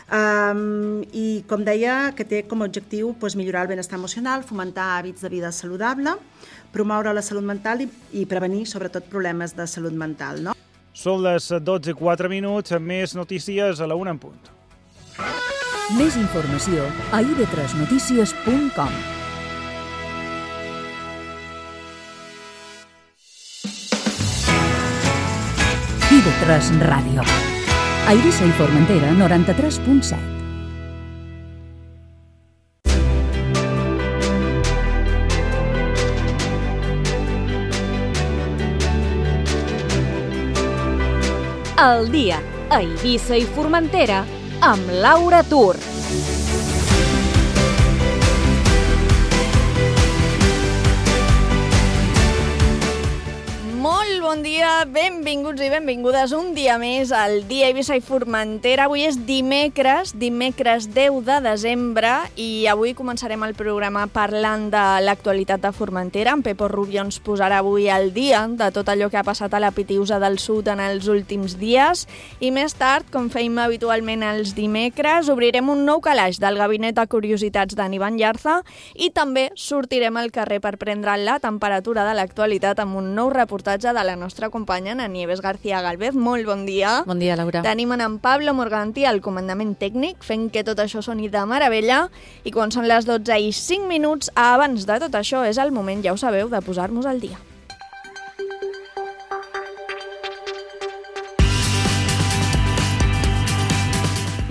I, com deia, que té com a objectiu millorar el benestar emocional, fomentar hàbits de vida saludable, promoure la salut mental i prevenir, sobretot, problemes de salut mental, no? Són les 12:04, més notícies a la 1 en punt. Més informació a ib3notícies.com. IB3 Ràdio. A Eivissa i Formentera, 93.7. El dia a Eivissa i Formentera amb Laura Tur. Molt bon dia, benvinguts i benvingudes un dia més al dia Eivissa i Formentera. Avui és dimecres 10 de desembre i avui començarem el programa parlant de l'actualitat de Formentera. En Pepo Rubio ens posarà avui al dia de tot allò que ha passat a la Pitiusa del Sud en els últims dies i més tard, com feim habitualment els dimecres, obrirem un nou calaix del Gabinet de Curiositats d'en Ivan Llarza i també sortirem al carrer per prendre la temperatura de l'actualitat amb un nou reportatge de la nostra companya, en Nieves García Galvez. Molt bon dia. Bon dia, Laura. Tenim en Pablo Morganti al comandament tècnic, fent que tot això soni de meravella. I quan són les 12:05, abans de tot això, és el moment, ja ho sabeu, de posar-nos al dia.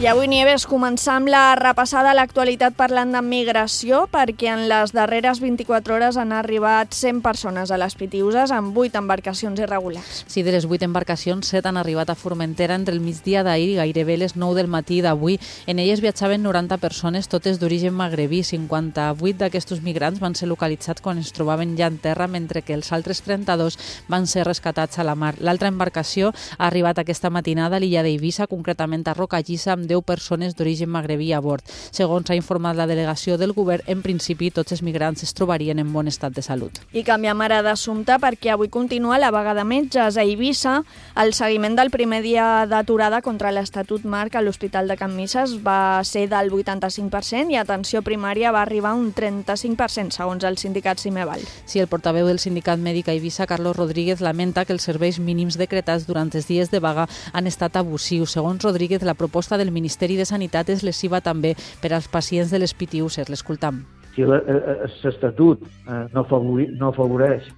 I avui, Nieves, començar amb la repassada a l'actualitat parlant de migració, perquè en les darreres 24 hores han arribat 100 persones a les Pitiuses amb 8 embarcacions irregulars. Sí, de les 8 embarcacions, 7 han arribat a Formentera entre el migdia d'ahir i gairebé les 9 del matí d'avui. En elles viatjaven 90 persones, totes d'origen magrebí. 58 d'aquestos migrants van ser localitzats quan es trobaven ja en terra, mentre que els altres 32 van ser rescatats a la mar. L'altra embarcació ha arribat aquesta matinada a l'illa d'Eivissa, concretament a Rocallissa, amb 10 persones d'origen magrebí a bord. Segons ha informat la delegació del govern, en principi tots els migrants es trobarien en bon estat de salut. I canviem ara d'assumpte perquè avui continua la vaga de metges a Eivissa. El seguiment del primer dia d'aturada contra l'Estatut Marc a l'Hospital de Can Misses va ser del 85% i atenció primària va arribar a un 35%, segons el sindicat Cimeval. Sí, el portaveu del sindicat mèdic a Eivissa, Carlos Rodríguez, lamenta que els serveis mínims decretats durant els dies de vaga han estat abusius. Segons Rodríguez, la proposta del Ministeri de Sanitat és lesiva també per als pacients de les Pitiuses. L'escoltam. Si l'Estatut no afavoreix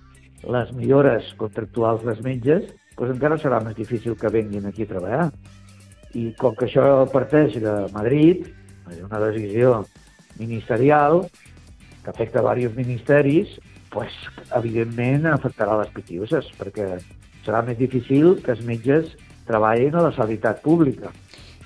les millores contractuals dels metges, doncs encara serà més difícil que venguin aquí a treballar. I com que això parteix de Madrid, és una decisió ministerial que afecta diversos ministeris, doncs, evidentment afectarà les Pitiuses, perquè serà més difícil que els metges treballin a la sanitat pública.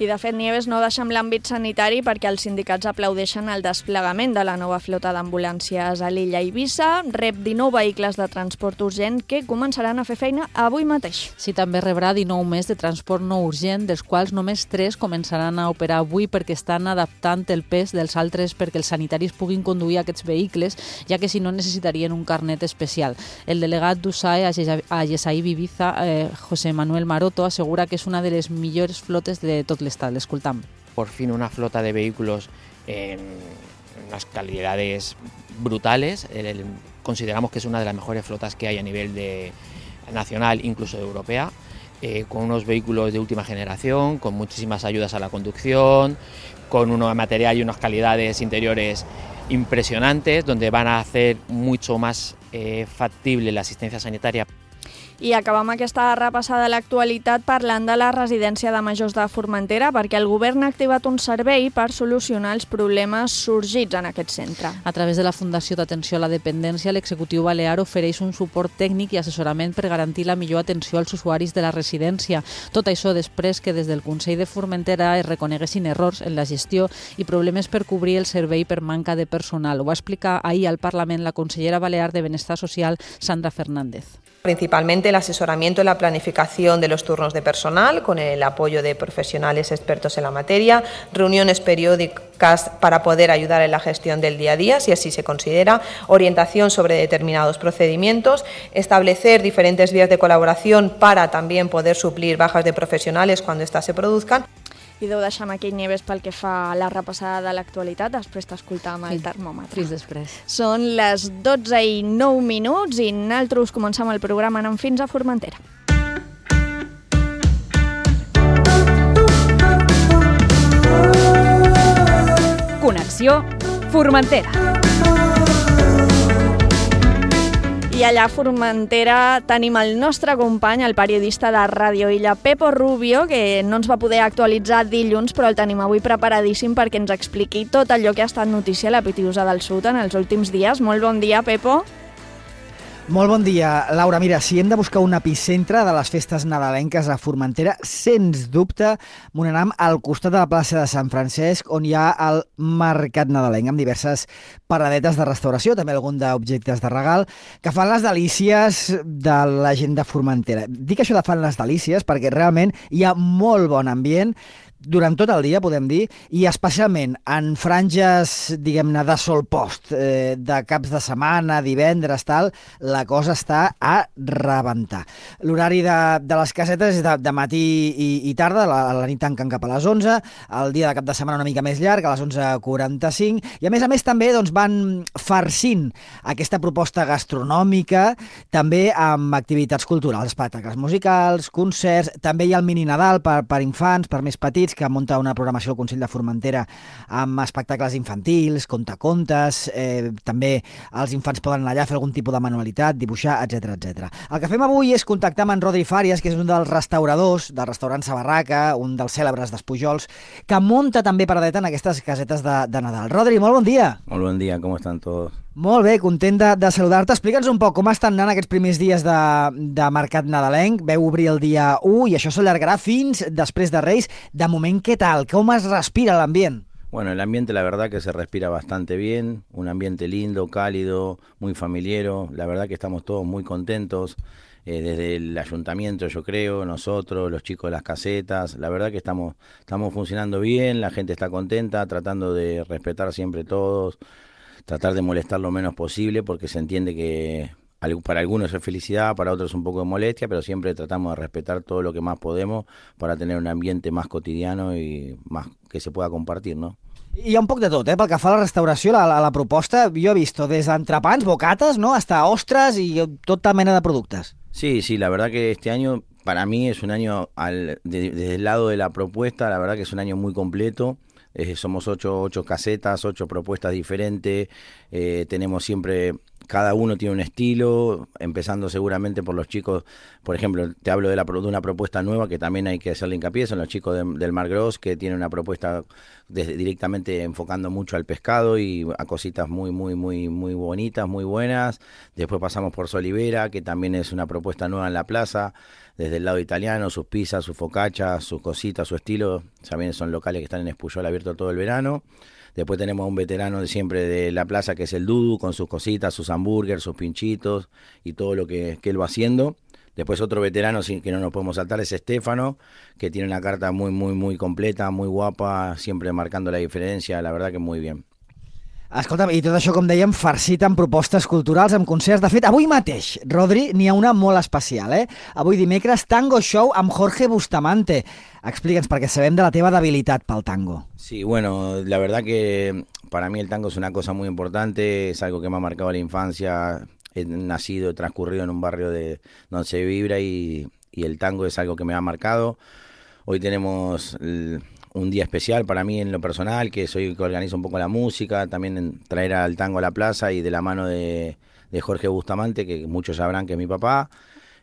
I, de fet, Nieves, no deixem l'àmbit sanitari perquè els sindicats aplaudeixen el desplegament de la nova flota d'ambulàncies a l'illa Eivissa. Rep 19 vehicles de transport urgent que començaran a fer feina avui mateix. Sí, també rebrà 19 més de transport no urgent, dels quals només 3 començaran a operar avui perquè estan adaptant el pes dels altres perquè els sanitaris puguin conduir aquests vehicles, ja que si no necessitarien un carnet especial. El delegat d'USAE a Gesaí Ibiza, José Manuel Maroto, assegura que és una de les millors flotes de tot l'estat. L'escoltam. Por fin una flota de vehículos en unas calidades brutales. Consideramos que es una de las mejores flotas que hay a nivel nacional, incluso europea, con unos vehículos de última generación, con muchísimas ayudas a la conducción, con un material y unas calidades interiores impresionantes, donde van a hacer mucho más factible la asistencia sanitaria. I acabam aquesta repassada a l'actualitat parlant de la residència de majors de Formentera, perquè el govern ha activat un servei per solucionar els problemes sorgits en aquest centre. A través de la Fundació d'Atenció a la Dependència, l'executiu balear ofereix un suport tècnic i assessorament per garantir la millor atenció als usuaris de la residència. Tot això després que des del Consell de Formentera es reconeguessin errors en la gestió i problemes per cobrir el servei per manca de personal. Ho va explicar ahir al Parlament la consellera balear de Benestar Social, Sandra Fernández. Principalmente el asesoramiento en la planificación de los turnos de personal, con el apoyo de profesionales expertos en la materia, reuniones periódicas para poder ayudar en la gestión del día a día, si así se considera, orientación sobre determinados procedimientos, establecer diferentes vías de colaboración para también poder suplir bajas de profesionales cuando éstas se produzcan. I deu deixar amb aquell Nieves pel que fa a la repassada de l'actualitat, després t'escoltar amb el termòmetre. Fins després. Són les 12:09 i nosaltres comencem el programa anant fins a Formentera. Connexió Formentera. I allà a Formentera tenim el nostre company, el periodista de Ràdio Illa, Pepo Rubio, que no ens va poder actualitzar dilluns, però el tenim avui preparadíssim perquè ens expliqui tot allò que ha estat notícia a la Pitiusa del Sud en els últims dies. Molt bon dia, Pepo. Molt bon dia, Laura. Mira, si hem de buscar un epicentre de les festes nadalenques a Formentera, sens dubte m'ho anem al costat de la plaça de Sant Francesc, on hi ha el mercat nadalenc, amb diverses paradetes de restauració, també algun d'objectes de regal, que fan les delícies de la gent de Formentera. Dic això de fan les delícies perquè realment hi ha molt bon ambient, durant tot el dia, podem dir, i especialment en franges, diguem-ne, de sol post, de caps de setmana, divendres, tal, la cosa està a rebentar. L'horari de les casetes és de matí i tarda, a la nit tanquen cap a les 11, el dia de cap de setmana una mica més llarg, a les 11:45, i a més també doncs, van farcint aquesta proposta gastronòmica, també amb activitats culturals, espectacles musicals, concerts, també hi ha el mini Nadal per infants, per més petits, que munta una programació al Consell de Formentera amb espectacles infantils, contacontes, també els infants poden anar allà a fer algun tipus de manualitat, dibuixar, etc etc. El que fem avui és contactar amb en Rodri Fàries, que és un dels restauradors del restaurant Sa Barraca, un dels cèlebres d'Espujols, que munta també paradeta en aquestes casetes de Nadal. Rodri, molt bon dia. Molt bon dia, com estan tots? Molt bé, content de saludar-te. Explica'ns un poc com estan anant aquests primers dies de mercat nadalenc. Veu obrir el dia 1 i això s'allargarà fins després de Reis. De moment, ¿qué tal? ¿Cómo es respira el ambiente? Bueno, el ambiente la verdad que se respira bastante bien, un ambiente lindo, cálido, muy familiero, la verdad que estamos todos muy contentos, desde el ayuntamiento yo creo, nosotros, los chicos de las casetas, la verdad que estamos funcionando bien, la gente está contenta, tratando de respetar siempre todos, tratar de molestar lo menos posible porque se entiende que para algunos es felicidad, para otros un poco de molestia, pero siempre tratamos de respetar todo lo que más podemos para tener un ambiente más cotidiano y más que se pueda compartir, ¿no? Hi ha un poc de tot, pel que fa a la restauració, la proposta, jo he visto des d'entrepans, bocates, ¿no?, hasta ostres y tota mena de productes. Sí, la verdad que este año para mí es un año, desde el lado de la propuesta, la verdad que es un año muy completo. Somos 8 casetas, 8 propuestas diferentes, tenemos siempre, cada uno tiene un estilo, empezando seguramente por los chicos, por ejemplo, te hablo de una propuesta nueva que también hay que hacerle hincapié, son los chicos del Mar Gros, que tienen una propuesta directamente enfocando mucho al pescado y a cositas muy bonitas, muy buenas. Después pasamos por Solivera, que también es una propuesta nueva en la plaza, desde el lado italiano, sus pizzas, sus focaccias, sus cositas, su estilo, también son locales que están en Espuyol abierto todo el verano. Después tenemos a un veterano de siempre de la plaza que es el Dudu, con sus cositas, sus hamburgues, sus pinchitos y todo lo que él va haciendo. Después otro veterano que no nos podemos saltar es Estefano, que tiene una carta muy completa, muy guapa, siempre marcando la diferencia, la verdad que muy bien. Escolta'm, i tot això, com dèiem, farcit amb propostes culturals, amb concerts. De fet, avui mateix, Rodri, n'hi ha una molt especial, Avui dimecres, Tango Show amb Jorge Bustamante. Explica'ns, perquè sabem de la teva debilitat pel tango. Sí, bueno, la verdad que para mí el tango es una cosa muy importante, es algo que me ha marcado la infancia. He nacido, he transcurrido en un barrio donde se vibra y el tango es algo que me ha marcado. Hoy tenemos un día especial para mí en lo personal, que soy el que organizo un poco la música, también traer al tango a la plaza y de la mano de Jorge Bustamante, que muchos sabrán que es mi papá.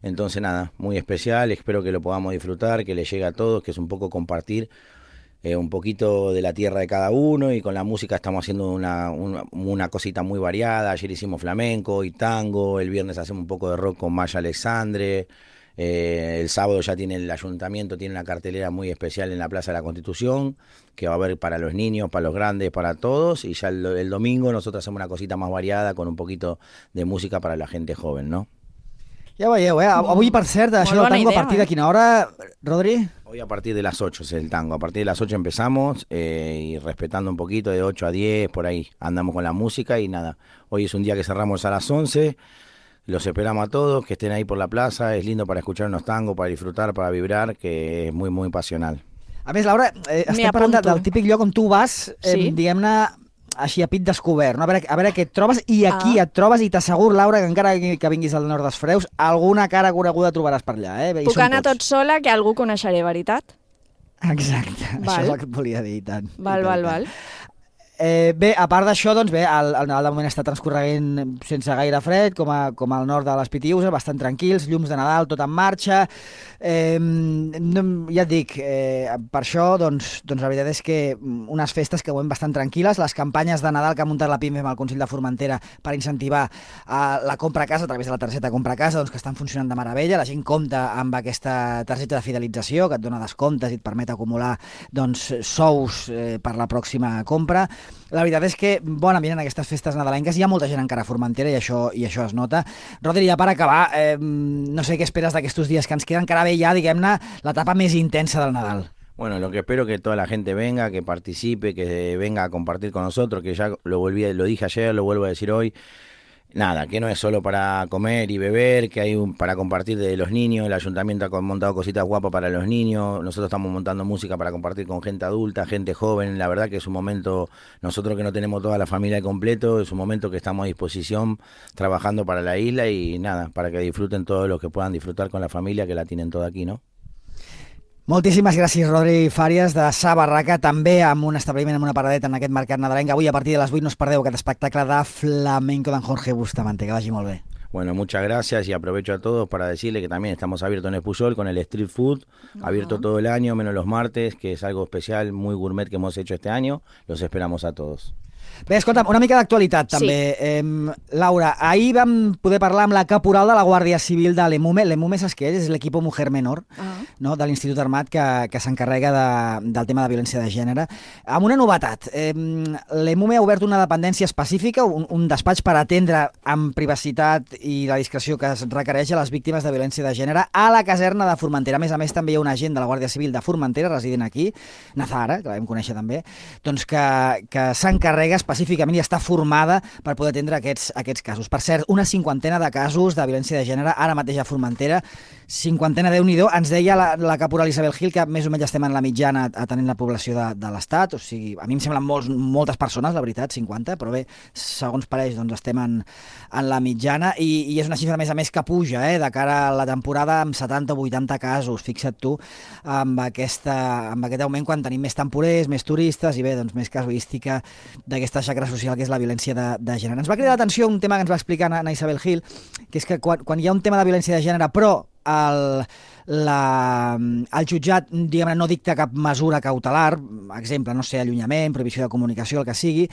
Entonces nada, muy especial, espero que lo podamos disfrutar, que le llegue a todos, que es un poco compartir un poquito de la tierra de cada uno, y con la música estamos haciendo una cosita muy variada. Ayer hicimos flamenco y tango, el viernes hacemos un poco de rock con Maya Alexandre, el sábado ya tiene el ayuntamiento, tiene una cartelera muy especial en la Plaza de la Constitución, que va a haber para los niños, para los grandes, para todos, y ya el domingo nosotros hacemos una cosita más variada con un poquito de música para la gente joven, ¿no? Ja veieu, avui, per cert, això del tango, a partir de quina hora, Rodri? Hoy a partir de las 8 es el tango, a partir de las 8 empezamos, y respetando un poquito, de 8 a 10, por ahí andamos con la música, y nada, hoy es un día que cerramos a las 11, los esperamos a todos, que estén ahí por la plaza, es lindo para escuchar unos tangos, para disfrutar, para vibrar, que es muy pasional. A més, Laura, estem parlant del típic lloc on tu vas, diguem-ne, així a pit descobert, no? A veure què et trobes, i aquí et trobes, i t'asseguro, Laura, que encara que vinguis al nord dels Freus, alguna cara coneguda trobaràs per allà. Puc anar tot sola, que algú coneixeré, veritat? Exacte, això és el que et volia dir, i tant. Val. Bé, a part d'això, doncs bé, el Nadal de moment està transcorreguent sense gaire fred, com al nord de les Pitiüses, bastant tranquils, llums de Nadal, tot en marxa. Ja et dic, per això, doncs la veritat és que unes festes que veiem bastant tranquil·les, les campanyes de Nadal que ha muntat la PIMEM al Consell de Formentera per incentivar la compra a casa a través de la targeta compra a casa, doncs que estan funcionant de meravella, la gent compta amb aquesta targeta de fidelització que et dona descomptes i et permet acumular doncs, sous per la pròxima compra. La veritat és que bon ambient en aquestes festes nadalenques, hi ha molta gent encara a Formentera i això es nota. Rodri, ja per acabar, no sé què esperes d'aquests dies que ens queden, encara bé ja, diguem-ne, l'etapa més intensa del Nadal. Bueno, lo que espero es que toda la gente venga, que participe, que venga a compartir con nosotros, que ya lo dije ayer, lo vuelvo a decir hoy. Nada, que no es solo para comer y beber, que hay para compartir de los niños. El ayuntamiento ha montado cositas guapas para los niños. Nosotros estamos montando música para compartir con gente adulta, gente joven. La verdad que es un momento, nosotros que no tenemos toda la familia completo, es un momento que estamos a disposición trabajando para la isla y nada, para que disfruten todos los que puedan disfrutar con la familia, que la tienen toda aquí, ¿no? Moltíssimes gràcies, Rodri Fàries, de Sa Barraca, també amb un establiment, amb una paradeta en aquest mercat nadalenc. Avui, a partir de les 8, no us perdeu aquest espectacle de flamenco d'en Jorge Bustamante. Que vagi molt bé. Bueno, muchas gracias y aprovecho a todos para decirle que también estamos abiertos en Espuyol con el street food, abierto todo el año, menos los martes, que es algo especial, muy gourmet que hemos hecho este año. Los esperamos a todos. Bé, escolta'm, una mica d'actualitat també. Sí. Laura, ahir vam poder parlar amb la caporal de la Guàrdia Civil de l'EMUME. L'EMUME, saps què és? És l'Equipo Mujer Menor, no? De l'Institut Armat que s'encarrega del tema de violència de gènere. Amb una novetat, l'EMUME ha obert una dependència específica, un despatx per atendre amb privacitat i la discreció que es requereix a les víctimes de violència de gènere a la caserna de Formentera. A més, també hi ha un agent de la Guàrdia Civil de Formentera, resident aquí, Nazara, que la vam conèixer també, doncs que s'encarrega específicament i està formada per poder atendre aquests casos. Per cert, una 50ena de casos de violència de gènere ara mateix a Formentera, 50, Déu-n'hi-do. Ens deia la caporal Isabel Gil que més o menys estem en la mitjana atenent la població de l'Estat, o sigui, a mi em semblen moltes persones, la veritat, 50, però bé, segons pareix, doncs estem en la mitjana i és una xifra, a més que puja, de cara a la temporada amb 70 o 80 casos, fixa't tu, amb aquest augment quan tenim més temporers, més turistes i bé, doncs més casuística d'aquesta xacra social que és la violència de gènere. Ens va cridar l'atenció un tema que ens va explicar a Isabel Gil, que és que quan hi ha un tema de violència de gènere però el jutjat, diguem-ne, no dicta cap mesura cautelar, exemple, no sé, allunyament, prohibició de comunicació, el que sigui,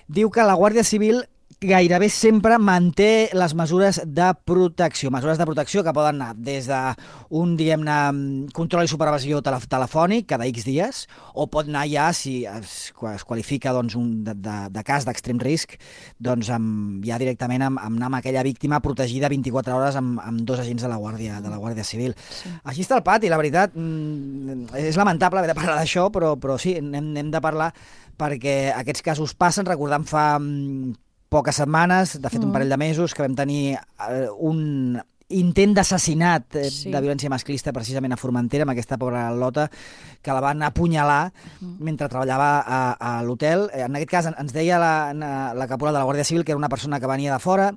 diu que la Guàrdia Civil gairebé sempre manté les mesures de protecció que poden anar des d'un, diguem-ne, control i supervisió telefònic cada X dies, o pot anar ja, si es qualifica doncs, de cas d'extrem risc, doncs ja directament amb anar amb aquella víctima protegida 24 hores amb dos agents de la Guàrdia Civil. Sí. Així està el pati, la veritat, és lamentable haver de parlar d'això, però sí, n'hem de parlar perquè aquests casos passen. Recordem fa poques setmanes, de fet un parell de mesos, que vam tenir un intent d'assassinat de violència masclista precisament a Formentera, amb aquesta pobra Lota, que la van apunyalar mentre treballava a l'hotel. En aquest cas ens deia la caporal de la Guàrdia Civil que era una persona que venia de fora,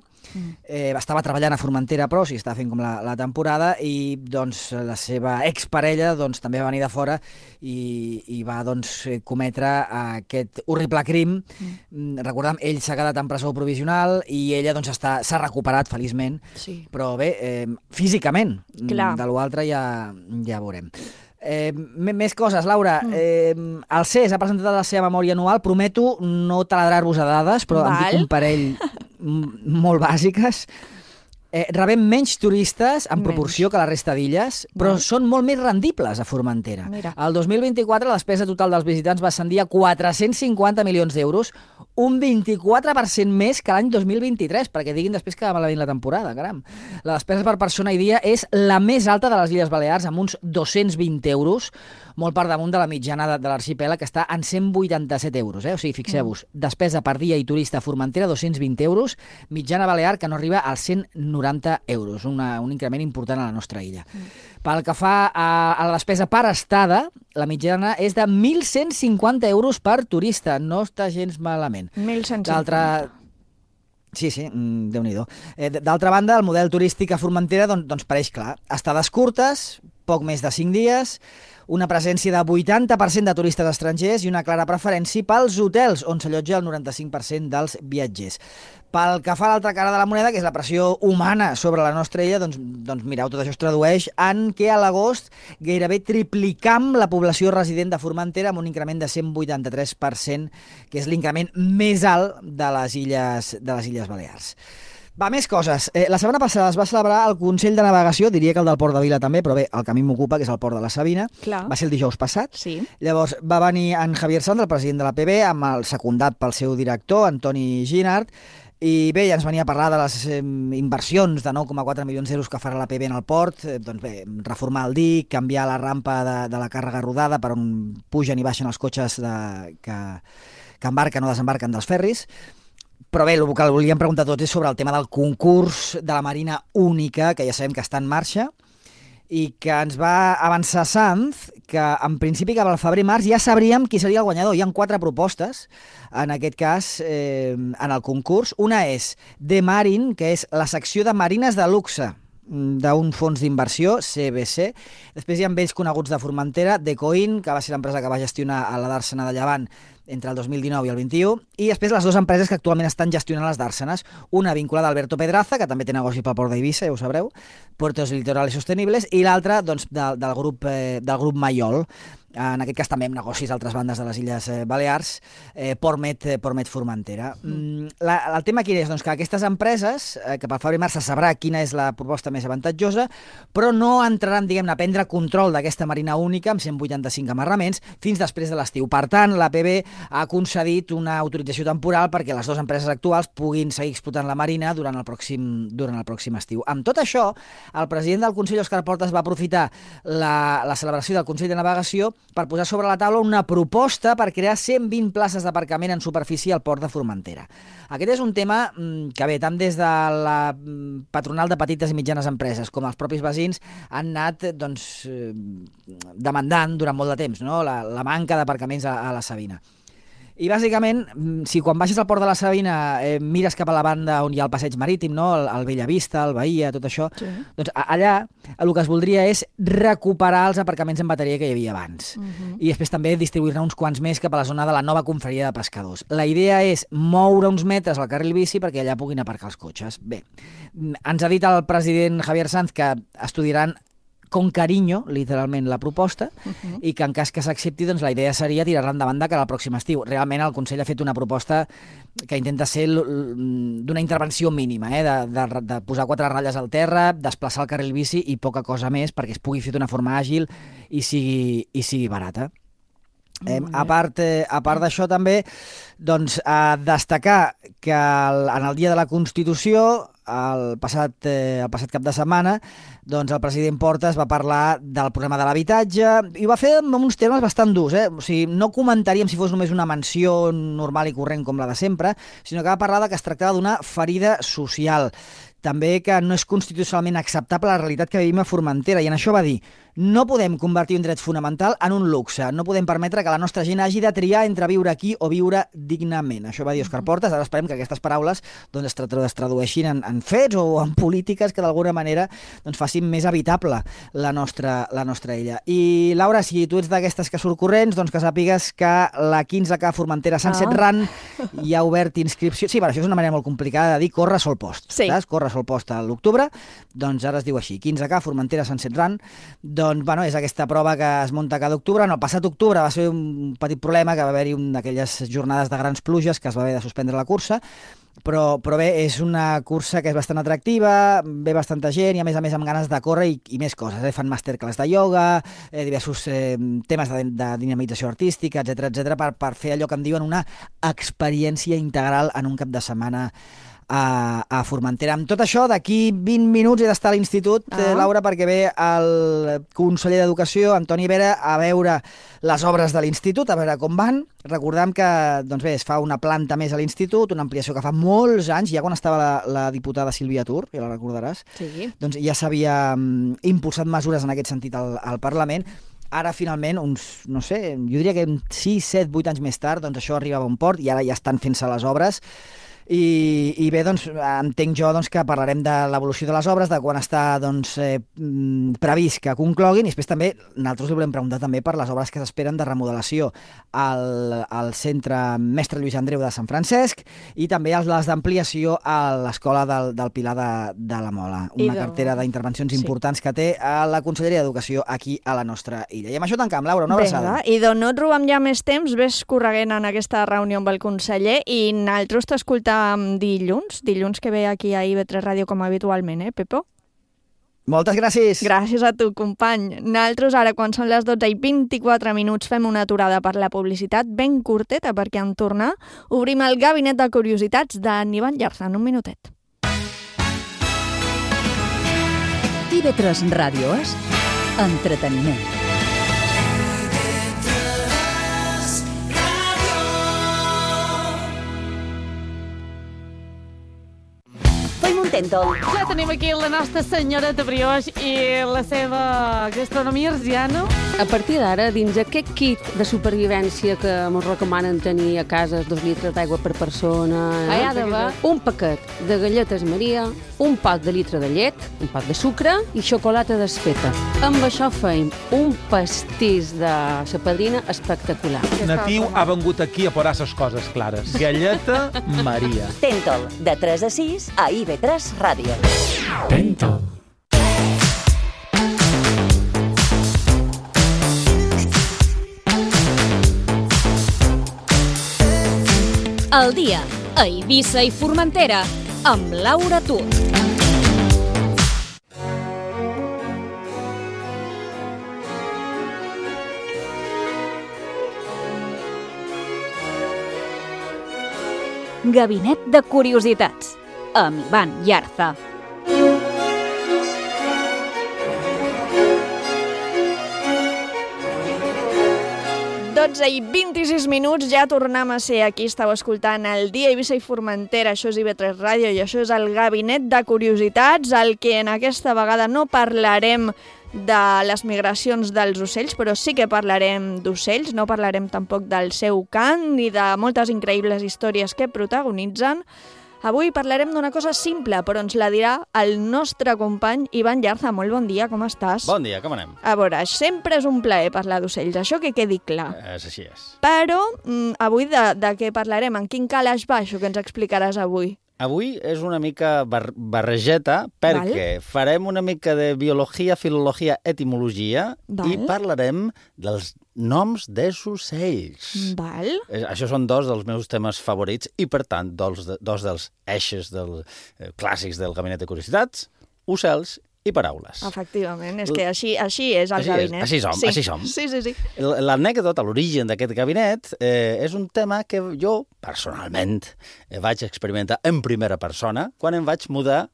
estava treballant a Formentera, però estava fent com la temporada, i doncs la seva exparella doncs, també va venir de fora i va doncs, cometre aquest horrible crim. Recordem, ell s'ha quedat en presó provisional i ella doncs, s'ha recuperat feliçment, però bé, físicament. Clar. De l'altre ja veurem. Més coses, Laura. El CES ha presentat la seva memòria anual. Prometo no taladrar-vos a dades, però em dic un parell molt bàsiques. Rebem menys turistes en proporció que la resta d'illes, però són molt més rendibles a Formentera. El 2024 la despesa total dels visitants va ascendir a 450 milions d'euros, un 24% més que l'any 2023, perquè diguin després que va malament la temporada, caram. La despesa per persona i dia és la més alta de les Illes Balears, amb uns 220 euros, molt per damunt de la mitjana de l'arxipèlag, que està en 187 euros. O sigui, fixeu-vos, despesa per dia i turista a Formentera, 220 euros, mitjana balear, que no arriba als 190 euros, un increment important a la nostra illa. Pel que fa a la despesa per estada, la mitjana és de 1.150 euros per turista. No està gens malament. 1.150. Sí, Déu-n'hi-do. D'altra banda, el model turístic a Formentera doncs pareix clar. Estades curtes, poc més de 5 dies, una presència de 80% de turistes estrangers i una clara preferència pels hotels, on s'allotja el 95% dels viatgers. Pel que fa a l'altra cara de la moneda, que és la pressió humana sobre la nostra illa, doncs mireu, tot això es tradueix en que a l'agost gairebé triplicam la població resident de Formentera amb un increment de 183%, que és l'increment més alt de les Illes Balears. Va, més coses. La setmana passada es va celebrar el Consell de Navegació, diria que el del Port de Vila també, però bé, el que a mi m'ocupa, que és el Port de la Sabina. Clar. Va ser el dijous passat. Sí. Llavors va venir en Javier Sanz, el president de la PB, amb el secundat pel seu director, Antoni Ginard, i bé, ja ens venia a parlar de les inversions de 9,4 milions d'euros que farà la PB en el port, doncs bé, reformar el dic, canviar la rampa de la càrrega rodada per on pugen i baixen els cotxes que embarquen o desembarquen dels ferris. Però bé, el que volíem preguntar tots és sobre el tema del concurs de la Marina Única, que ja sabem que està en marxa, i que ens va avançar Sanz, que en principi cap al febrer-març ja sabríem qui seria el guanyador. Hi ha 4 propostes, en aquest cas, en el concurs. Una és The Marine, que és la secció de marines de luxe d'un fons d'inversió, CBC. Després hi ha vells coneguts de Formentera, Decoin, que va ser l'empresa que va gestionar a la Dàrsena de Llevant entre el 2019 i el 21, i després les 2 empreses que actualment estan gestionant les Dàrsenes, una vinculada a Alberto Pedraza, que també té negocis pel port d'Eivissa, ja ho sabreu, Puertos Litorales Sostenibles, i l'altra doncs, del grup Mayol. En aquest cas també amb negocis a altres bandes de les Illes Balears, Portmet Formentera. El tema quin és? Doncs que aquestes empreses, que pel febrer-març se sabrà quina és la proposta més avantatjosa, però no entraran, diguem-ne, a prendre control d'aquesta Marina Única amb 185 amarraments fins després de l'estiu. Per tant, la PB ha concedit una autorització temporal perquè les 2 empreses actuals puguin seguir explotant la Marina durant el pròxim estiu. Amb tot això, el president del Consell, Òscar Portas, va aprofitar la celebració del Consell de Navegació per posar sobre la taula una proposta per crear 120 places d'aparcament en superfície al port de Formentera. Aquest és un tema que bé, tant des de la patronal de petites i mitjanes empreses com els propis veïns han anat demandant durant molt de temps, no? La manca d'aparcaments a la Sabina. I bàsicament, si quan baixes al port de la Sabina mires cap a la banda on hi ha el passeig marítim, no? El Bellavista, el Bahia, tot això, sí. Doncs allà el que es voldria és recuperar els aparcaments en bateria que hi havia abans. I després també distribuir-ne uns quants més cap a la zona de la nova confraria de pescadors. La idea és moure uns metres al carril bici perquè allà puguin aparcar els cotxes. Bé, ens ha dit el president Javier Sanz que estudiaran con cariño, literalment, la proposta, i que en cas que s'accepti, doncs la idea seria tirar-la endavant de cara al pròxim estiu. Realment el Consell ha fet una proposta que intenta ser d'una intervenció mínima, de posar 4 ratlles al terra, desplaçar el carril bici i poca cosa més perquè es pugui fer d'una forma àgil i sigui barata. A part d'això també, doncs, destacar que en el dia de la Constitució, el passat cap de setmana, doncs el president Portas va parlar del problema de l'habitatge i ho va fer amb uns termes bastant durs. O sigui, no comentaríem si fos només una menció normal i corrent com la de sempre, sinó que va parlar que es tractava d'una ferida social. També que no és constitucionalment acceptable la realitat que vivim a Formentera, i en això va dir: no podem convertir un dret fonamental en un luxe, no podem permetre que la nostra gent hagi de triar entre viure aquí o viure dignament. Això va dir Òscar Portas. Ara esperem que aquestes paraules doncs, es tradueixin en fets o en polítiques que d'alguna manera doncs, facin més habitable la nostra illa. I Laura, si tu ets d'aquestes que surt corrents, doncs que sàpigues que la 15K Formentera Sunset Run ja ha obert inscripció. Sí, això és una manera molt complicada de dir corre sol post. Sí. Saps? Corre sol post a l'octubre, doncs ara es diu així, 15K Formentera Sunset Run. Doncs, bueno, és aquesta prova que es munta cada octubre. No, el passat octubre va ser un petit problema, que va haver-hi d'aquelles jornades de grans pluges que es va haver de suspendre la cursa, però bé, és una cursa que és bastant atractiva, ve bastanta gent i a més amb ganes de córrer i més coses. Fan masterclass de ioga, diversos temes de dinamització artística, etc per fer allò que en diuen una experiència integral en un cap de setmana a Formentera. Amb tot això, d'aquí 20 minuts he d'estar a l'institut, Laura, perquè ve el conseller d'Educació, Antoni Vera, a veure les obres de l'institut, a veure com van. Recordem que es fa una planta més a l'institut, una ampliació que fa molts anys, ja quan estava la diputada Sílvia Tur, ja la recordaràs, sí. Doncs ja s'havia impulsat mesures en aquest sentit al Parlament. Ara, finalment, no sé, jo diria que 6, 7, 8 anys més tard, doncs això arribava a un port i ara ja estan fent-se les obres. I bé, doncs, entenc jo que parlarem de l'evolució de les obres, de quan està previst que concloguin, i després també nosaltres li volem preguntar també per les obres que s'esperen de remodelació al centre Mestre Lluís Andreu de Sant Francesc i també les d'ampliació a l'escola del Pilar de la Mola, una cartera d'intervencions importants que té a la Conselleria d'Educació aquí a la nostra illa. I amb això tancam, Laura, una abraçada. I doncs no et robem ja més temps, ves correguent en aquesta reunió amb el conseller i nosaltres t'escoltam dilluns que ve aquí a IB3 Ràdio com habitualment, Pepo? Moltes gràcies. Gràcies a tu, company. Nosaltres ara, quan són les 12:24, fem una aturada per la publicitat ben curteta, perquè en tornar obrim el gabinet de curiositats d'en Ivan Llarza en un minutet. IB3 Ràdio és entreteniment. Ja tenim aquí la nostra senyoreta brioix i la seva gastronomia arsiana. A partir d'ara, dins aquest kit de supervivència que ens recomanen tenir a casa 2 litres d'aigua per persona, hi ha d'haver un paquet de galletes Maria, un pot de litre de llet, un pot de sucre i xocolata desfeta. Amb això feim un pastís de sa padrina espectacular. Natiu ha vengut aquí a posar ses coses clares. Galleta Maria. Tentol, de 3 a 6 a IB3 Ràdio. Tentol. El dia a Eivissa i Formentera amb Laura Tur. Gabinet de curiositats amb Ivan Llarza. I 26 minuts, ja tornem a ser aquí. Estàu escoltant el Dia Eivissa i Formentera, això és IB3 Ràdio i això és el Gabinet de Curiositats, el que en aquesta vegada no parlarem de les migracions dels ocells, però sí que parlarem d'ocells, no parlarem tampoc del seu cant ni de moltes increïbles històries que protagonitzen. Avui parlarem d'una cosa simple, però ens la dirà el nostre company Ivan Llarza. Molt bon dia, com estàs? Bon dia, com anem? A veure, sempre és un plaer parlar d'ocells, això que quedi clar. Així és. Però avui de què parlarem? En quin calaix va això que ens explicaràs avui? Avui és una mica barregeta perquè farem una mica de biologia, filologia, etimologia i parlarem dels noms dels ocells. Això són dos dels meus temes favorits i, per tant, dos dels eixos clàssics del Gabinet de Curiositats, ocells i paraules. Efectivament, és que així és el gabinet. Així som. Sí. L'anècdota, l'origen d'aquest gabinet, és un tema que jo, personalment, vaig experimentar en primera persona quan em vaig mudar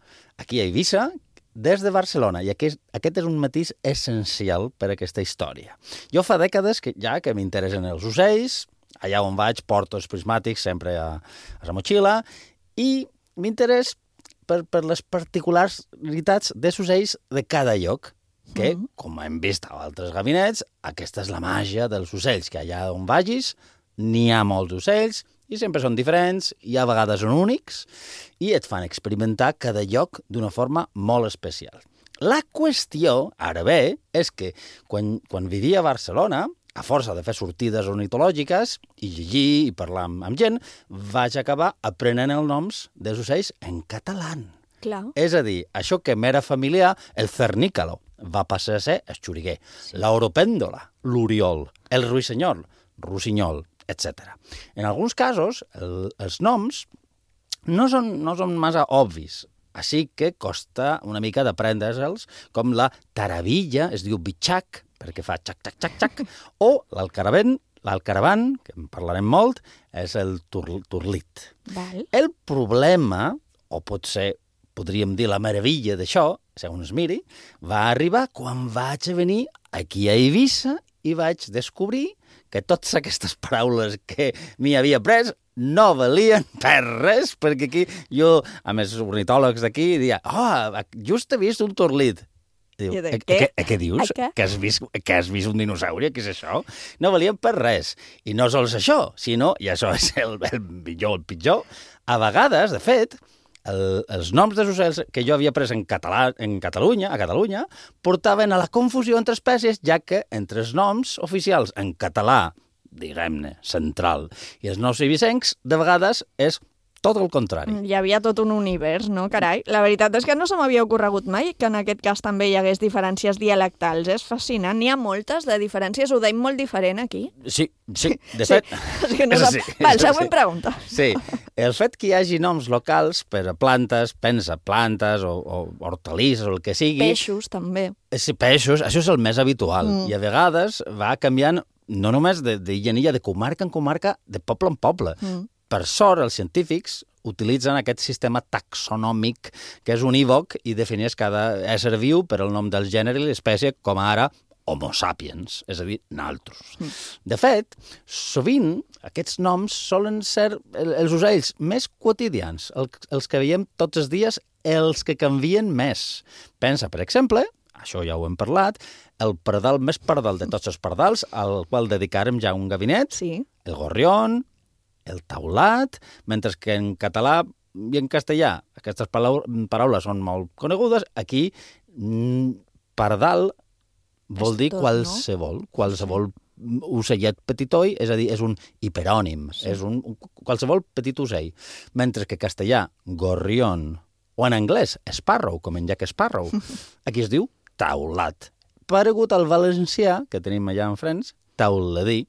aquí a Eivissa des de Barcelona. I aquest és un matís essencial per a aquesta història. Jo fa dècades que m'interessen els ocells, allà on vaig porto els prismàtics sempre a la motxilla, i m'interès per les particularitats dels ocells de cada lloc, que, com hem vist a altres gabinets, aquesta és la màgia dels ocells, que allà on vagis n'hi ha molts ocells i sempre són diferents i a vegades són únics i et fan experimentar cada lloc d'una forma molt especial. La qüestió, ara bé, és que quan vivia a Barcelona, a força de fer sortides ornitològiques i llegir i parlar amb gent, vaig acabar aprenent els noms dels ocells en català. Clar. És a dir, això que m'era familiar, el cernícalo, va passar a ser el xuriguer, l'oropèndola, l'oriol, el ruissenyol, rossinyol, etc. En alguns casos, els noms no són massa obvis, així que costa una mica d'aprendre'ls, com la taravilla, es diu bitxac, perquè fa xac, o l'alcaravan, que en parlarem molt, és el turlit. Val. El problema, o potser podríem dir la meravella d'això, segons es miri, va arribar quan vaig venir aquí a Eivissa i vaig descobrir que totes aquestes paraules que m'hi havia après no valien per res, perquè aquí jo, a més, ornitòlegs d'aquí, deia, just he vist un torlit. Diu, què dius? Que has vist un dinosaure? Què és això? No valien per res. I no sols això, sinó, i això és el millor, el pitjor, a vegades, de fet, els noms dels ocells que jo havia pres a Catalunya, portaven a la confusió entre espècies, ja que entre els noms oficials en català, diguem-ne, central, i els noms eivissencs, de vegades és tot el contrari. Hi havia tot un univers, no? Carai, la veritat és que no se m'havia ocorregut mai que en aquest cas també hi hagués diferències dialectals. És fascinant. N'hi ha moltes de diferències. Ho deim molt diferent aquí. Sí, de fet... És que no sap... Val, següent pregunta. Sí, el fet que hi hagi noms locals per a plantes, pensa plantes o hortalisses o el que sigui... Peixos, també. Sí, peixos, això és el més habitual. I a vegades va canviant no només d'illa en illa, de comarca en comarca, de poble en poble. Per sort, els científics utilitzen aquest sistema taxonòmic, que és unívoc i defineix cada ésser viu per el nom del gènere i l'espècie, com ara Homo sapiens, és a dir, naltros. De fet, sovint aquests noms solen ser els ocells més quotidians, els que veiem tots els dies, els que canvien més. Pensa, per exemple, això ja ho hem parlat, el pardal més pardal de tots els pardals, al qual dedicarem ja un gabinet, el gorrión, el taulat, mentre que en català i en castellà aquestes paraules són molt conegudes, aquí pardal vol dir qualsevol ocellet petitoi, és a dir, és un hiperònim, és un qualsevol petit ocell, mentre que castellà, gorrión, o en anglès, sparrow, com en Jack Sparrow, aquí es diu taulat. Paregut al valencià, que tenim allà en Frens, tauladí.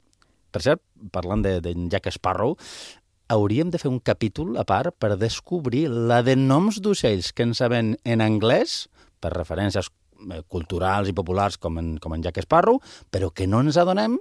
Per cert, parlant d'en Jack Sparrow, hauríem de fer un capítol a part per descobrir la de noms d'ocells que en sabem en anglès, per referències culturals i populars com en Jack Sparrow, però que no ens adonem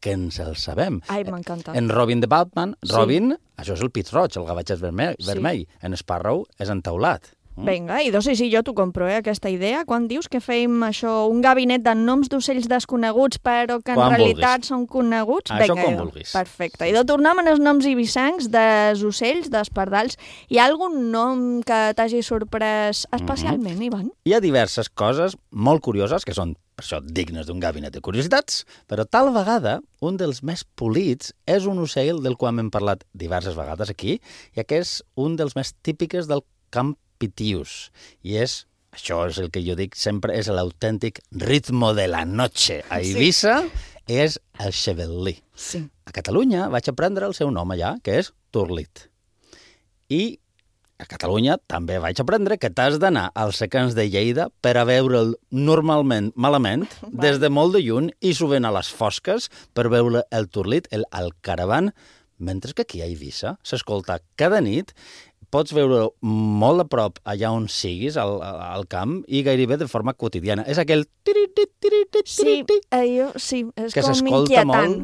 que ens el sabem. Ai, m'encanta. En Robin de Batman, Robin, això és el pit roig, el gavatx vermell. En Sparrow és entaulat. Vinga, i sí, jo t'ho compro, aquesta idea. Quan dius que fèiem això, un gabinet de noms d'ocells desconeguts, però que en realitat són coneguts? Això com vulguis. Perfecte. I de tornar amb els noms eivissencs dels ocells, dels pardals. Hi ha algun nom que t'hagi sorprès especialment, Ivan? Hi ha diverses coses molt curioses, que són, per això, dignes d'un gabinet de curiositats, però tal vegada un dels més polits és un ocell del qual hem parlat diverses vegades aquí, i que és un dels més típics del camp pitius, i això és el que jo dic sempre, és l'autèntic ritmo de la noche. A Eivissa és el xebel·lí. A Catalunya vaig aprendre el seu nom allà, que és torlit. I a Catalunya també vaig aprendre que t'has d'anar als secans de Lleida per a veure'l normalment malament, des de molt de lluny, i sovint a les fosques per veure el torlit, el caravan, mentre que aquí a Eivissa s'escolta cada nit. Pots veure molt a prop allà on siguis, al camp, i gairebé de forma quotidiana. És aquell... Sí, és com inquietant.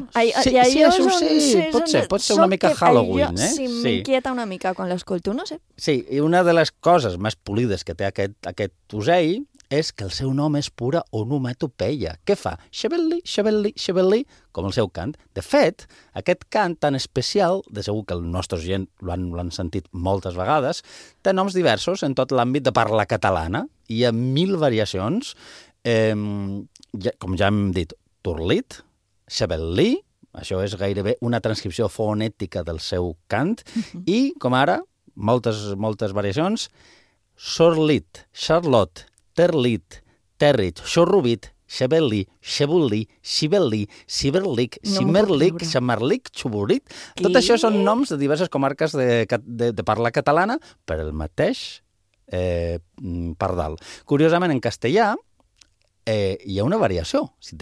Pot ser una mica Halloween, eh? Sí, m'inquieta una mica quan l'escolto, no sé. Sí, i una de les coses més polides que té aquest ocell és que el seu nom és pura onomatopeia. Què fa? Xebel·li, xebel·li, xebel·li, com el seu cant. De fet, aquest cant tan especial, de segur que els nostres gent l'han sentit moltes vegades, té noms diversos en tot l'àmbit de parla catalana. Hi ha 1000 variacions, com ja hem dit, torlit, xebel·li, això és gairebé una transcripció fonètica del seu cant, i, com ara, moltes variacions, sorlit, charlot, terlit, territ, xorrubit, xebel·li, xebul·li, xibel·li, ciberlic, cimerlic, xamarlic, xuburit. Tot això són noms de diverses comarques de parla catalana per el mateix pardal. Curiosament, en castellà hi ha una variació. Si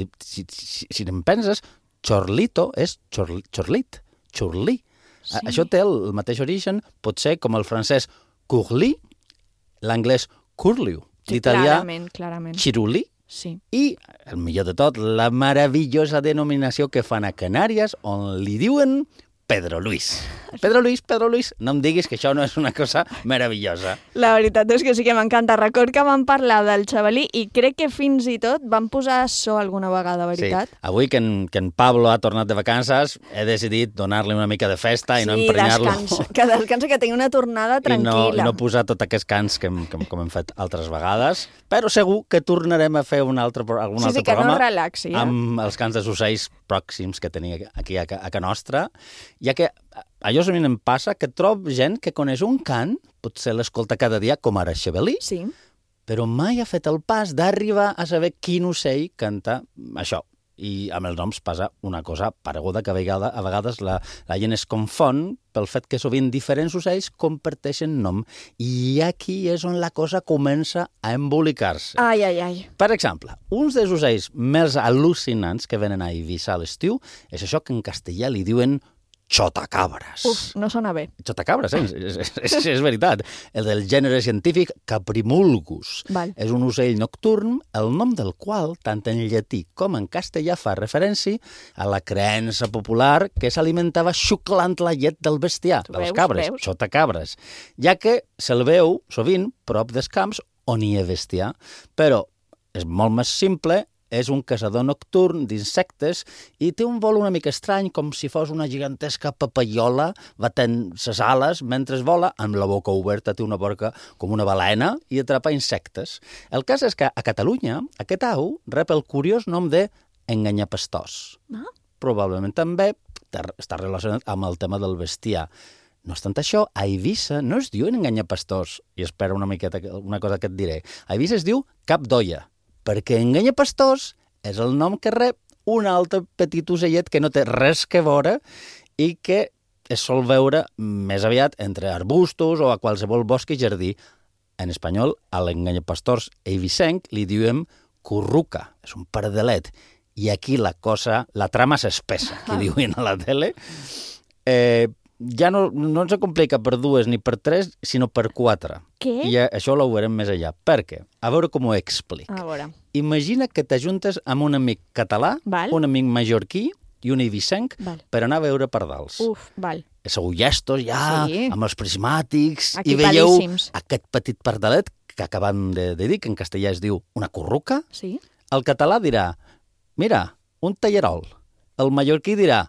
en penses, chorlito és chorlit, xurlí. Això té el mateix origen, pot ser com el francès curli, l'anglès curliu, l'italià xirulí, i, el millor de tot, la meravellosa denominació que fan a Canàries, on li diuen Pedro Luis. Pedro Luis, no em diguis que això no és una cosa meravellosa. La veritat és que sí que m'encanta. Record que vam parlar del xavalí i crec que fins i tot vam posar so alguna vegada, veritat? Sí, avui que en Pablo ha tornat de vacances, he decidit donar-li una mica de festa i no emprenyar-lo. Sí, descansa, que tingui una tornada tranquil·la. I no posar tot aquest cants com hem fet altres vegades, però segur que tornarem a fer algun altre programa que no relaxi, amb els cants dels ocells pròxims que tenia aquí a Ca Nostra, ja que allò a mi em passa que trobo gent que coneix un cant, potser l'escolta cada dia, com ara Xavalí, sí, però mai ha fet el pas d'arribar a saber quin ocell canta això. I amb els noms passa una cosa pareguda, que a vegades la gent es confon pel fet que sovint diferents ocells comparteixen nom. I aquí és on la cosa comença a embolicar-se. Ai. Per exemple, uns dels ocells més al·lucinants que venen a Eivissa a l'estiu és això que en castellà li diuen xotacabres. No sona bé. Xotacabres, és veritat. El del gènere científic Caprimulgus. És un ocell nocturn, el nom del qual, tant en llatí com en castellà, fa referència a la creença popular que s'alimentava xuclant la llet del bestiar, de les cabres, xotacabres, ja que se'l veu sovint prop dels camps on hi ha bestiar. Però és molt més simple. És un caçador nocturn d'insectes i té un vol una mica estrany, com si fos una gigantesca papaiola batent ses ales mentre vola, amb la boca oberta, té una boca com una balena i atrapa insectes. El cas és que a Catalunya aquest au rep el curiós nom de enganyapastors. Probablement també està relacionat amb el tema del bestiar. No obstant això, a Eivissa no es diuen enganyapastors, i espera una miqueta una cosa que et diré. A Eivissa es diu cap d'olla, perquè enganyapastors és el nom que rep un altre petit ocellet que no té res que veure i que es sol veure més aviat entre arbustos o a qualsevol bosc i jardí. En espanyol, a l'enganyapastors eivissenc li diem curruca, és un pardalet. I aquí la trama s'espessa, que diuen a la tele. Ja no ens complica per 2 ni per 3, sinó per 4. Què? I això ho veurem més allà. Per què? A veure com ho explic. A veure. Imagina que t'ajuntes amb un amic català, un amic mallorquí i un eivissenc per anar a veure pardals. Sou llestos ja, amb els prismàtics, i veieu aquest petit pardalet que acabem de dir, que en castellà es diu una curruca. El català dirà, mira, un tallarol. El mallorquí dirà,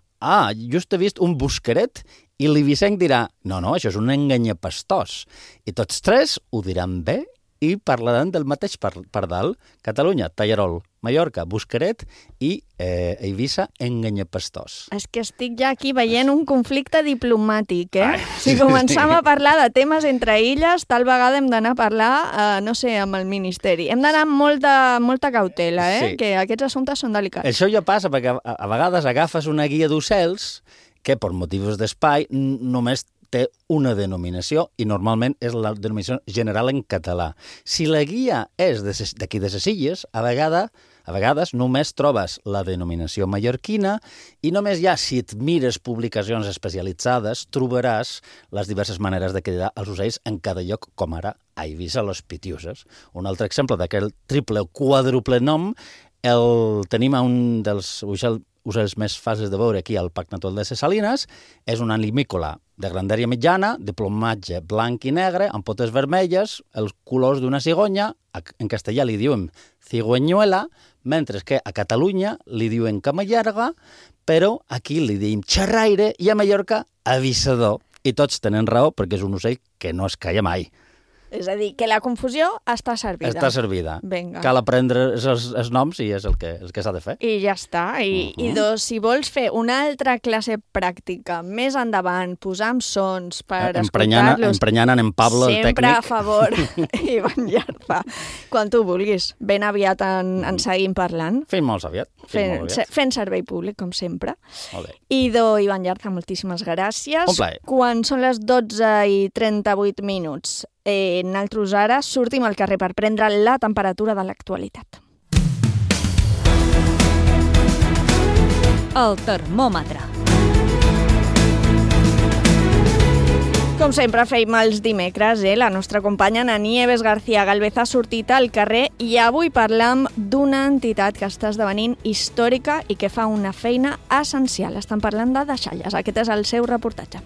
just he vist un busqueret. I l'eivissenc dirà, no, això és un enganyapastors. I tots tres ho diran bé i parlaran del mateix pardal. Catalunya, tallarol. Mallorca, busqueret. I Eivissa, enganyapastors. És que estic ja aquí veient un conflicte diplomàtic, Si començam a parlar de temes entre illes, tal vegada hem d'anar a parlar, no sé, amb el Ministeri. Hem d'anar amb molta cautela, que aquests assumptes són delicats. Això ja passa, perquè a vegades agafes una guia d'ocells que per motius d'espai només té una denominació i normalment és la denominació general en català. Si la guia és d'aquí de ses illes, a vegades només trobes la denominació mallorquina i només ja si et mires publicacions especialitzades trobaràs les diverses maneres de cridar els ocells en cada lloc, com ara a Eivissa los Pitiuses. Un altre exemple d'aquell triple o quàdruple nom el tenim a un dels ocells més fàcils de veure aquí al Parc Natural de ses Salines. És un animícola de grandària mitjana, de plomatge blanc i negre, amb potes vermelles, els colors d'una cigonya. En castellà li diuen cigüeñuela, mentre que a Catalunya li diuen camallarga, però aquí li diem xerraire i a Mallorca avisador. I tots tenen raó perquè és un ocell que no es calla mai. És a dir, que la confusió està servida. Està servida. Vinga. Cal aprendre els noms i és el que s'ha de fer. I ja està. I si vols fer una altra classe pràctica més endavant, posar amb sons per escoltar-los... Emprenyant en Pablo, el tècnic. Sempre a favor, Ivan Llarza. Quan tu vulguis. Ben aviat en seguim parlant. Fins molt aviat. Fent servei públic, com sempre. Molt bé. Ivan Llarza, moltíssimes gràcies. Un plaer. Quan són les 12:38 minuts, nosaltres ara sortim al carrer per prendre la temperatura de l'actualitat. El termòmetre. Com sempre feim els dimecres, la nostra companya Ana Nieves García Galvez ha sortit al carrer i avui parlam d'una entitat que està esdevenint històrica i que fa una feina essencial. Estan parlant de deixalles. Aquest és el seu reportatge.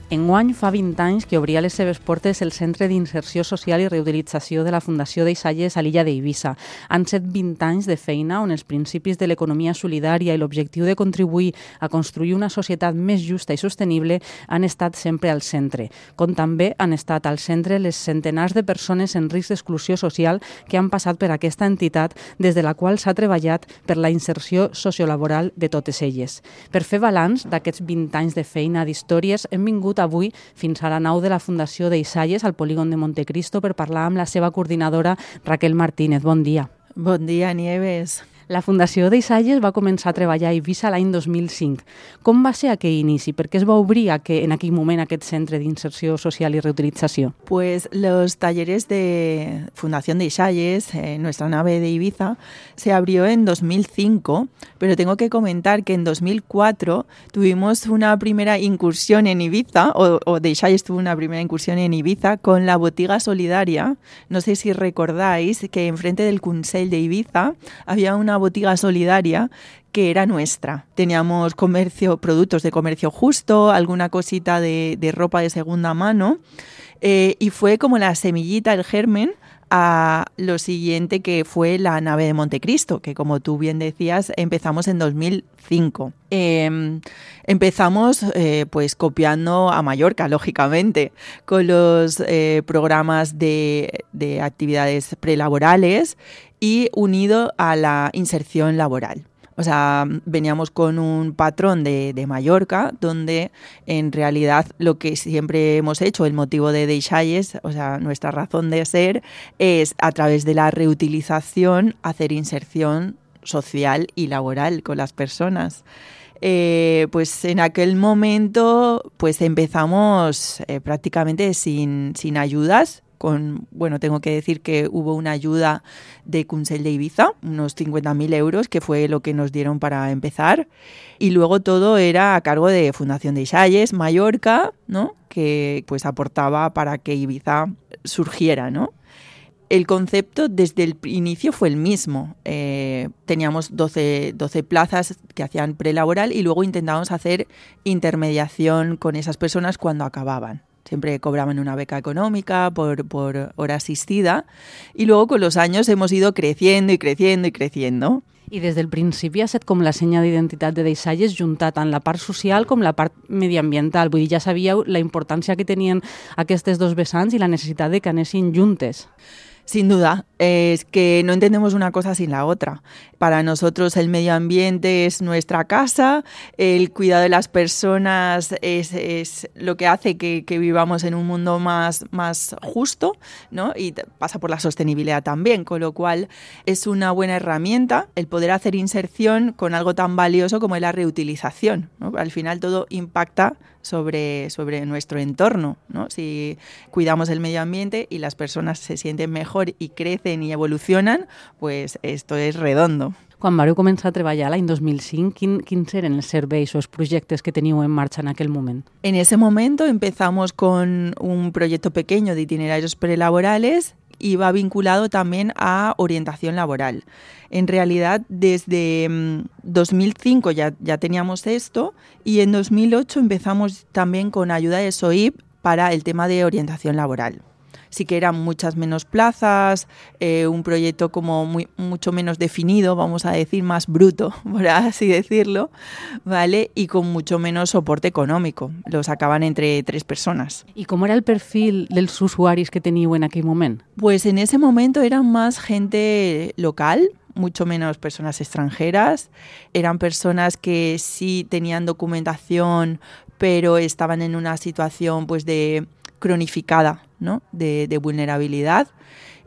Enguany fa 20 anys que obria les seves portes el Centre d'Inserció Social i Reutilització de la Fundació Deixalles a l'illa d'Eivissa. Han set 20 anys de feina on els principis de l'economia solidària i l'objectiu de contribuir a construir una societat més justa i sostenible han estat sempre al centre, com també han estat al centre les centenars de persones en risc d'exclusió social que han passat per aquesta entitat des de la qual s'ha treballat per la inserció sociolaboral de totes elles. Per fer balanç d'aquests 20 anys de feina d'històries hem vingut avui fins a la nau de la Fundació Deixalles al polígon de Montecristo per parlar amb la seva coordinadora Raquel Martínez. Bon dia. Bon dia, Nieves. La Fundació Deixalles va començar a treballar a Eivissa l'any 2005. Com va ser aquell inici? Per què es va obrir en aquell moment aquest centre d'inserció social y reutilització? Pues los talleres de Fundación Deixalles, nuestra nave de Ibiza, se abrió en 2005, pero tengo que comentar que en 2004 tuvimos una primera incursión en Ibiza, o Deixalles tuvo una primera incursión en Ibiza con la botiga solidaria. No sé si recordáis que enfrente del Consell de Ibiza había una botiga solidaria que era nuestra. Teníamos productos de comercio justo, alguna cosita de ropa de segunda mano, y fue como la semillita, el germen, a lo siguiente que fue la nave de Montecristo, que como tú bien decías, empezamos en 2005. Empezamos pues copiando a Mallorca, lógicamente, con los programas de actividades prelaborales y unido a la inserción laboral. O sea, veníamos con un patrón de Mallorca, donde en realidad lo que siempre hemos hecho, el motivo de Deixalles, o sea, nuestra razón de ser, es a través de la reutilización hacer inserción social y laboral con las personas. Pues en aquel momento pues empezamos prácticamente sin ayudas. Tengo que decir que hubo una ayuda de Consell de Ibiza, unos 50.000 euros, que fue lo que nos dieron para empezar. Y luego todo era a cargo de Fundación Deixalles, Mallorca, ¿no? Que pues aportaba para que Ibiza surgiera, ¿no? El concepto desde el inicio fue el mismo. Teníamos 12 plazas que hacían prelaboral y luego intentábamos hacer intermediación con esas personas cuando acababan. Siempre cobraban una beca económica por hora asistida y luego con los años hemos ido creciendo y creciendo y creciendo. I des del principi ha estat com la senya d'identitat de Deixalles juntar tant la part social com la part mediambiental. Vull dir, ja sabíeu la importància que tenien aquestes dos vessants i la necessitat de que anessin juntes. Sin duda, es que no entendemos una cosa sin la otra. Para nosotros el medio ambiente es nuestra casa, el cuidado de las personas es lo que hace que vivamos en un mundo más justo, ¿no? Y pasa por la sostenibilidad también, con lo cual es una buena herramienta el poder hacer inserción con algo tan valioso como es la reutilización, ¿no? Al final todo impacta sobre nuestro entorno, ¿no? Si cuidamos el medio ambiente y las personas se sienten mejor y crecen y evolucionan, pues esto es redondo. Quan vareu començar a treballar l'any 2005, quins eren els serveis o els projectes que teníeu en marcha en aquel moment? En ese momento empezamos con un proyecto pequeño de itinerarios prelaborales y va vinculado también a orientación laboral. En realidad, desde 2005 ya teníamos esto y en 2008 empezamos también con ayuda de SOIP para el tema de orientación laboral. Sí que eran muchas menos plazas, un proyecto como mucho menos definido, vamos a decir, más bruto, por así decirlo, ¿vale? Y con mucho menos soporte económico. Lo sacaban entre 3 personas. ¿Y cómo era el perfil dels usuaris que teníeu en aquell moment? Pues en ese momento eran más gente local, mucho menos personas extranjeras. Eran personas que sí tenían documentación, pero estaban en una situación pues de cronificada, ¿no? de vulnerabilidad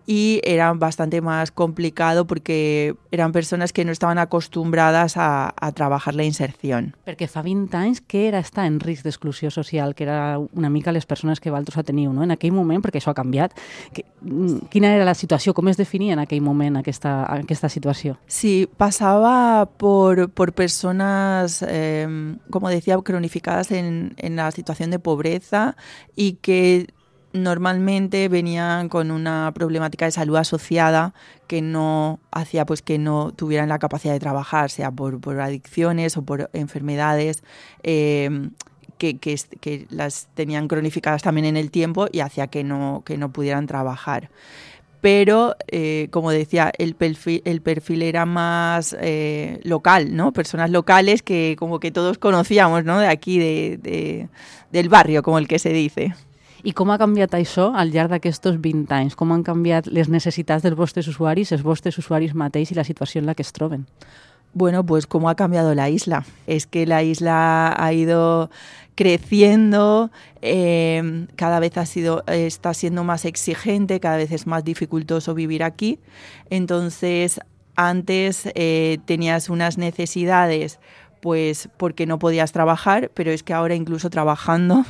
y era bastante más complicado porque eran personas que no estaven acostumbrades a treballar la inserció. Perquè fa 20 anys, què era estar en risc d'exclusió social, que era una mica les persones que vosaltres teniu, no? En aquell moment, perquè això ha canviat, quina era la situació, com es definia en aquell moment aquesta situació? Sí, pasaba por personas, como decía, cronificadas en la situación de pobreza y que normalmente venían con una problemática de salud asociada que no hacía pues que no tuvieran la capacidad de trabajar, sea por adicciones o por enfermedades que las tenían cronificadas también en el tiempo y hacía que no pudieran trabajar. Pero, como decía, el perfil era más local, ¿no? Personas locales que como que todos conocíamos, ¿no? De aquí, del barrio, como el que se dice. I com ha canviat això al llarg d'aquests 20 anys? Com han canviat les necessitats dels vostres usuaris, els vostres usuaris mateix i la situació en la que es troben? Bueno, pues cómo ha cambiado la isla. Es que la isla ha ido creciendo, cada vez está siendo más exigente, cada vez es más dificultoso vivir aquí. Entonces, antes tenías unas necesidades pues porque no podías trabajar, pero es que ahora incluso trabajando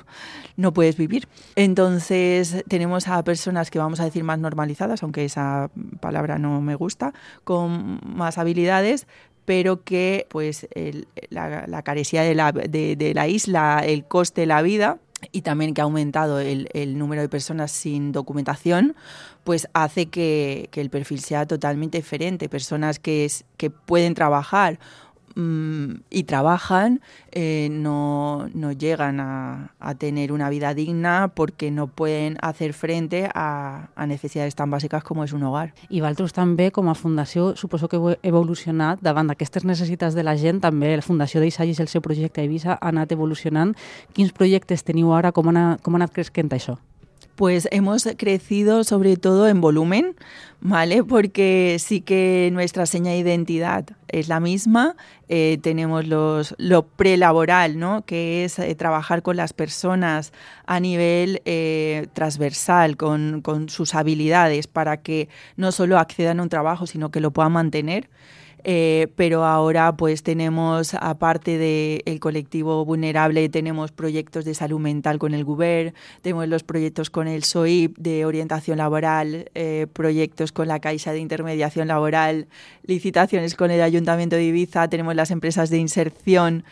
no puedes vivir. Entonces tenemos a personas que vamos a decir más normalizadas, aunque esa palabra no me gusta, con más habilidades, pero que pues la caresía de la isla, el coste de la vida y también que ha aumentado el número de personas sin documentación, pues hace que el perfil sea totalmente diferente. Personas que pueden trabajar y trabajan, no llegan a tener una vida digna porque no pueden hacer frente a necesidades tan bàsiques com és un hogar. I vosaltres també, com a fundació, suposo que heu evolucionat davant d'aquestes necessitats de la gent. També la Fundació d'Eixalles i el seu projecte a Eivissa ha anat evolucionant. Quins projectes teniu ara? Com ha anat creixent això? Pues hemos crecido sobre todo en volumen, ¿vale? Porque sí que nuestra seña de identidad es la misma. Tenemos lo prelaboral, ¿no? Que es trabajar con las personas a nivel transversal, con sus habilidades, para que no solo accedan a un trabajo, sino que lo puedan mantener. Pero ahora pues tenemos, aparte del colectivo vulnerable, tenemos proyectos de salud mental con el Govern, tenemos los proyectos con el SOIP de orientación laboral, proyectos con la Caixa de intermediación laboral, licitaciones con el Ayuntamiento de Ibiza, tenemos las empresas de inserción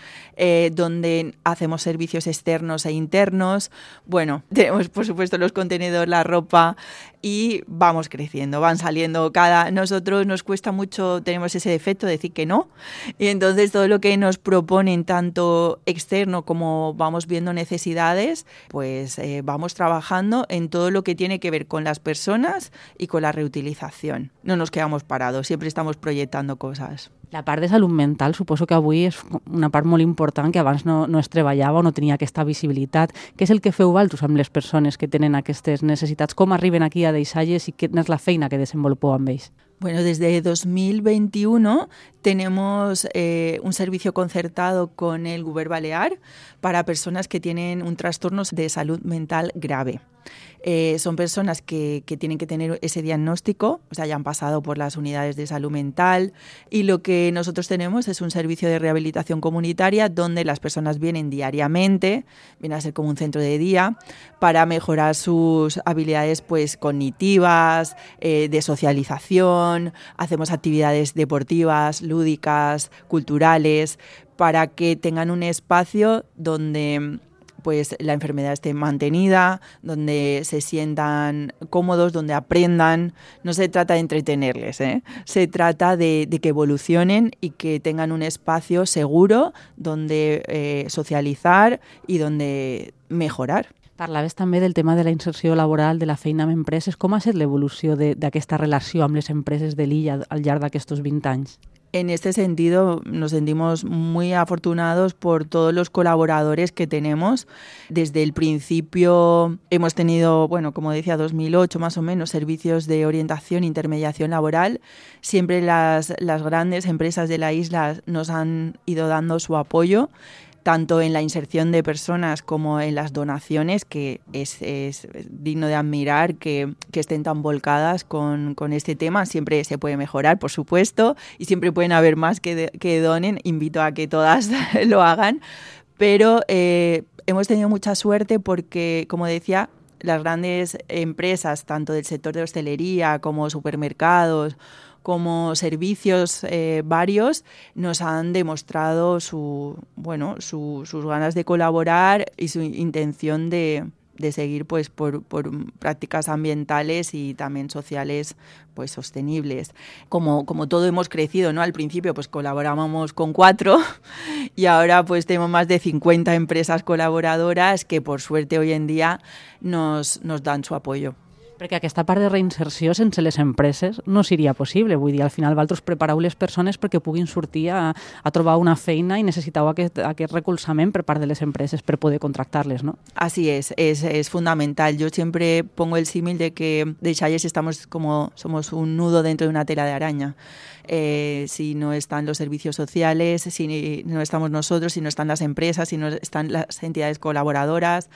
donde hacemos servicios externos e internos. Bueno, tenemos por supuesto los contenedores, la ropa y vamos creciendo, van saliendo nosotros nos cuesta mucho, tenemos ese defecto de decir que no, y entonces todo lo que nos proponen tanto externo como vamos viendo necesidades, pues vamos trabajando en todo lo que tiene que ver con las personas y con la reutilización. No nos quedamos parados, siempre estamos proyectando cosas. La part de salut mental suposo que avui és una part molt important que abans no es treballava o no tenia aquesta visibilitat. Què és el que feu vosaltres amb les persones que tenen aquestes necessitats? Com arriben aquí a Deixalles i quina és la feina que desenvolupeu amb ells? Bueno, desde 2021 tenemos un servicio concertado con el Govern Balear para personas que tienen un trastorno de salud mental grave. Son personas que tienen que tener ese diagnóstico, o sea, ya han pasado por las unidades de salud mental, y lo que nosotros tenemos es un servicio de rehabilitación comunitaria donde las personas vienen diariamente, viene a ser como un centro de día, para mejorar sus habilidades pues cognitivas, de socialización, hacemos actividades deportivas, lúdicas, culturales, para que tengan un espacio donde pues la enfermedad esté mantenida, donde se sientan cómodos, donde aprendan. No se trata de entretenerles, se trata de que evolucionen y que tengan un espacio seguro donde socializar y donde mejorar. Parlaves també del tema de la inserció laboral, de la feina amb empreses. Com ha estat l'evolució d'aquesta relació amb les empreses de l'illa al llarg d'aquests 20 anys? En este sentido nos sentimos muy afortunados por todos los colaboradores que tenemos. Desde el principio hemos tenido, bueno, como decía, 2008 más o menos, servicios de orientación e intermediación laboral. Siempre las grandes empresas de la isla nos han ido dando su apoyo. tanto en la inserción de personas como en las donaciones, que es digno de admirar que estén tan volcadas con este tema. Siempre se puede mejorar, por supuesto, y siempre pueden haber más que donen. Invito a que todas lo hagan, pero hemos tenido mucha suerte porque, como decía, las grandes empresas, tanto del sector de hostelería como supermercados, como servicios varios, nos han demostrado sus ganas de colaborar y su intención de seguir pues por prácticas ambientales y también sociales pues sostenibles. Como todo hemos crecido, ¿no? Al principio pues colaborábamos con 4 y ahora pues tenemos más de 50 empresas colaboradoras que por suerte hoy en día nos dan su apoyo. Perquè aquesta part de reinserció sense les empreses no seria possible. Vull dir, al final vosaltres prepareu les persones perquè puguin sortir a trobar una feina i necessiteu aquest recolzament per part de les empreses per poder contractar-les, ¿no? Así es fundamental. Yo siempre pongo el símil de que Deixalles somos un nudo dentro de una tela de araña. Si no están los servicios sociales, si no estamos nosotros, si no están las empresas, si no están las entidades colaboradoras,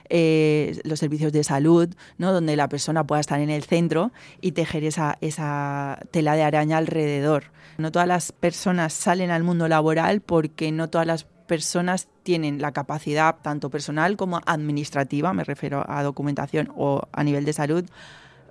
los servicios de salud, ¿no? Donde la persona pueda estar en el centro y tejer esa tela de araña alrededor. No todas las personas salen al mundo laboral porque no todas las personas tienen la capacidad, tanto personal como administrativa, me refiero a documentación o a nivel de salud,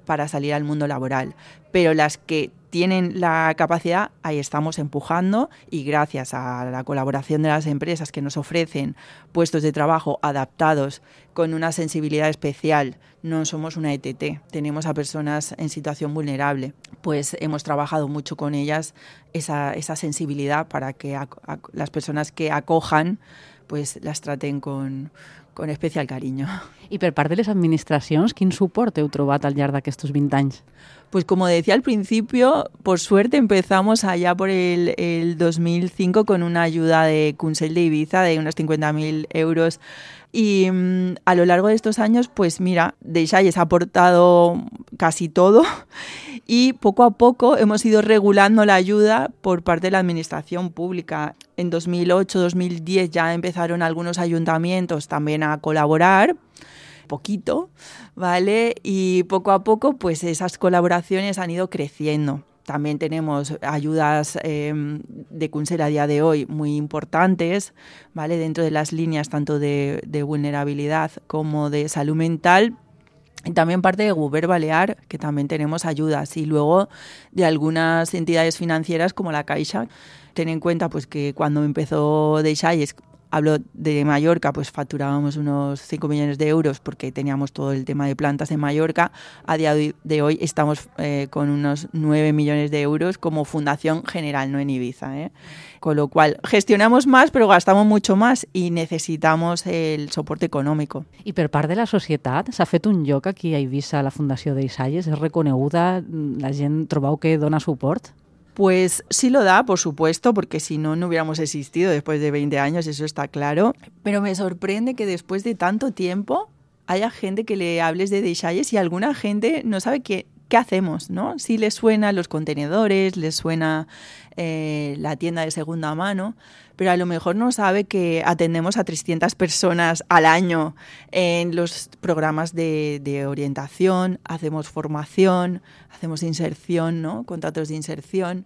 para salir al mundo laboral. Pero las que tienen la capacidad, ahí estamos empujando, y gracias a la colaboración de las empresas que nos ofrecen puestos de trabajo adaptados con una sensibilidad especial, no somos una ETT, tenemos a personas en situación vulnerable, pues hemos trabajado mucho con ellas esa sensibilidad para que las personas que acojan pues las traten con especial cariño. I per part de les administracions, quin suport heu trobat al llarg d'aquestos 20 anys? Pues como decía al principio, por suerte empezamos allá por el 2005 con una ayuda de Consell de Ibiza de unos 50.000 euros. Y a lo largo de estos años, pues mira, Deixalles ha aportado casi todo y poco a poco hemos ido regulando la ayuda por parte de la administración pública. En 2008-2010 ya empezaron algunos ayuntamientos también a colaborar, poquito, ¿vale? Y poco a poco pues esas colaboraciones han ido creciendo. También tenemos ayudas de Consell a día de hoy muy importantes, ¿vale? Dentro de las líneas tanto de vulnerabilidad como de salud mental. Y también parte de Govern Balear, que también tenemos ayudas. Y luego de algunas entidades financieras como la Caixa. Ten en cuenta pues que cuando empezó Deixalles, hablo de Mallorca, pues facturábamos unos 5 millones de euros porque teníamos todo el tema de plantas en Mallorca. A día de hoy estamos con unos 9 millones de euros como fundación general, no en Ibiza, ¿eh? Con lo cual gestionamos más pero gastamos mucho más i necessitamos el soporte econòmic. I per part de la societat, s'ha fet un lloc aquí a Eivissa, la Fundació Deixalles? És reconeguda? La gent trobeu que dona suport? Pues sí lo da, por supuesto, porque si no, no hubiéramos existido después de 20 años, eso está claro. Pero me sorprende que después de tanto tiempo haya gente que le hables de Deixalles y alguna gente no sabe qué hacemos, ¿no? Sí les suena los contenedores, les suena la tienda de segunda mano, pero a lo mejor no sabe que atendemos a 300 personas al año en los programas de orientación, hacemos formación, hacemos inserción, ¿no? Contratos de inserción.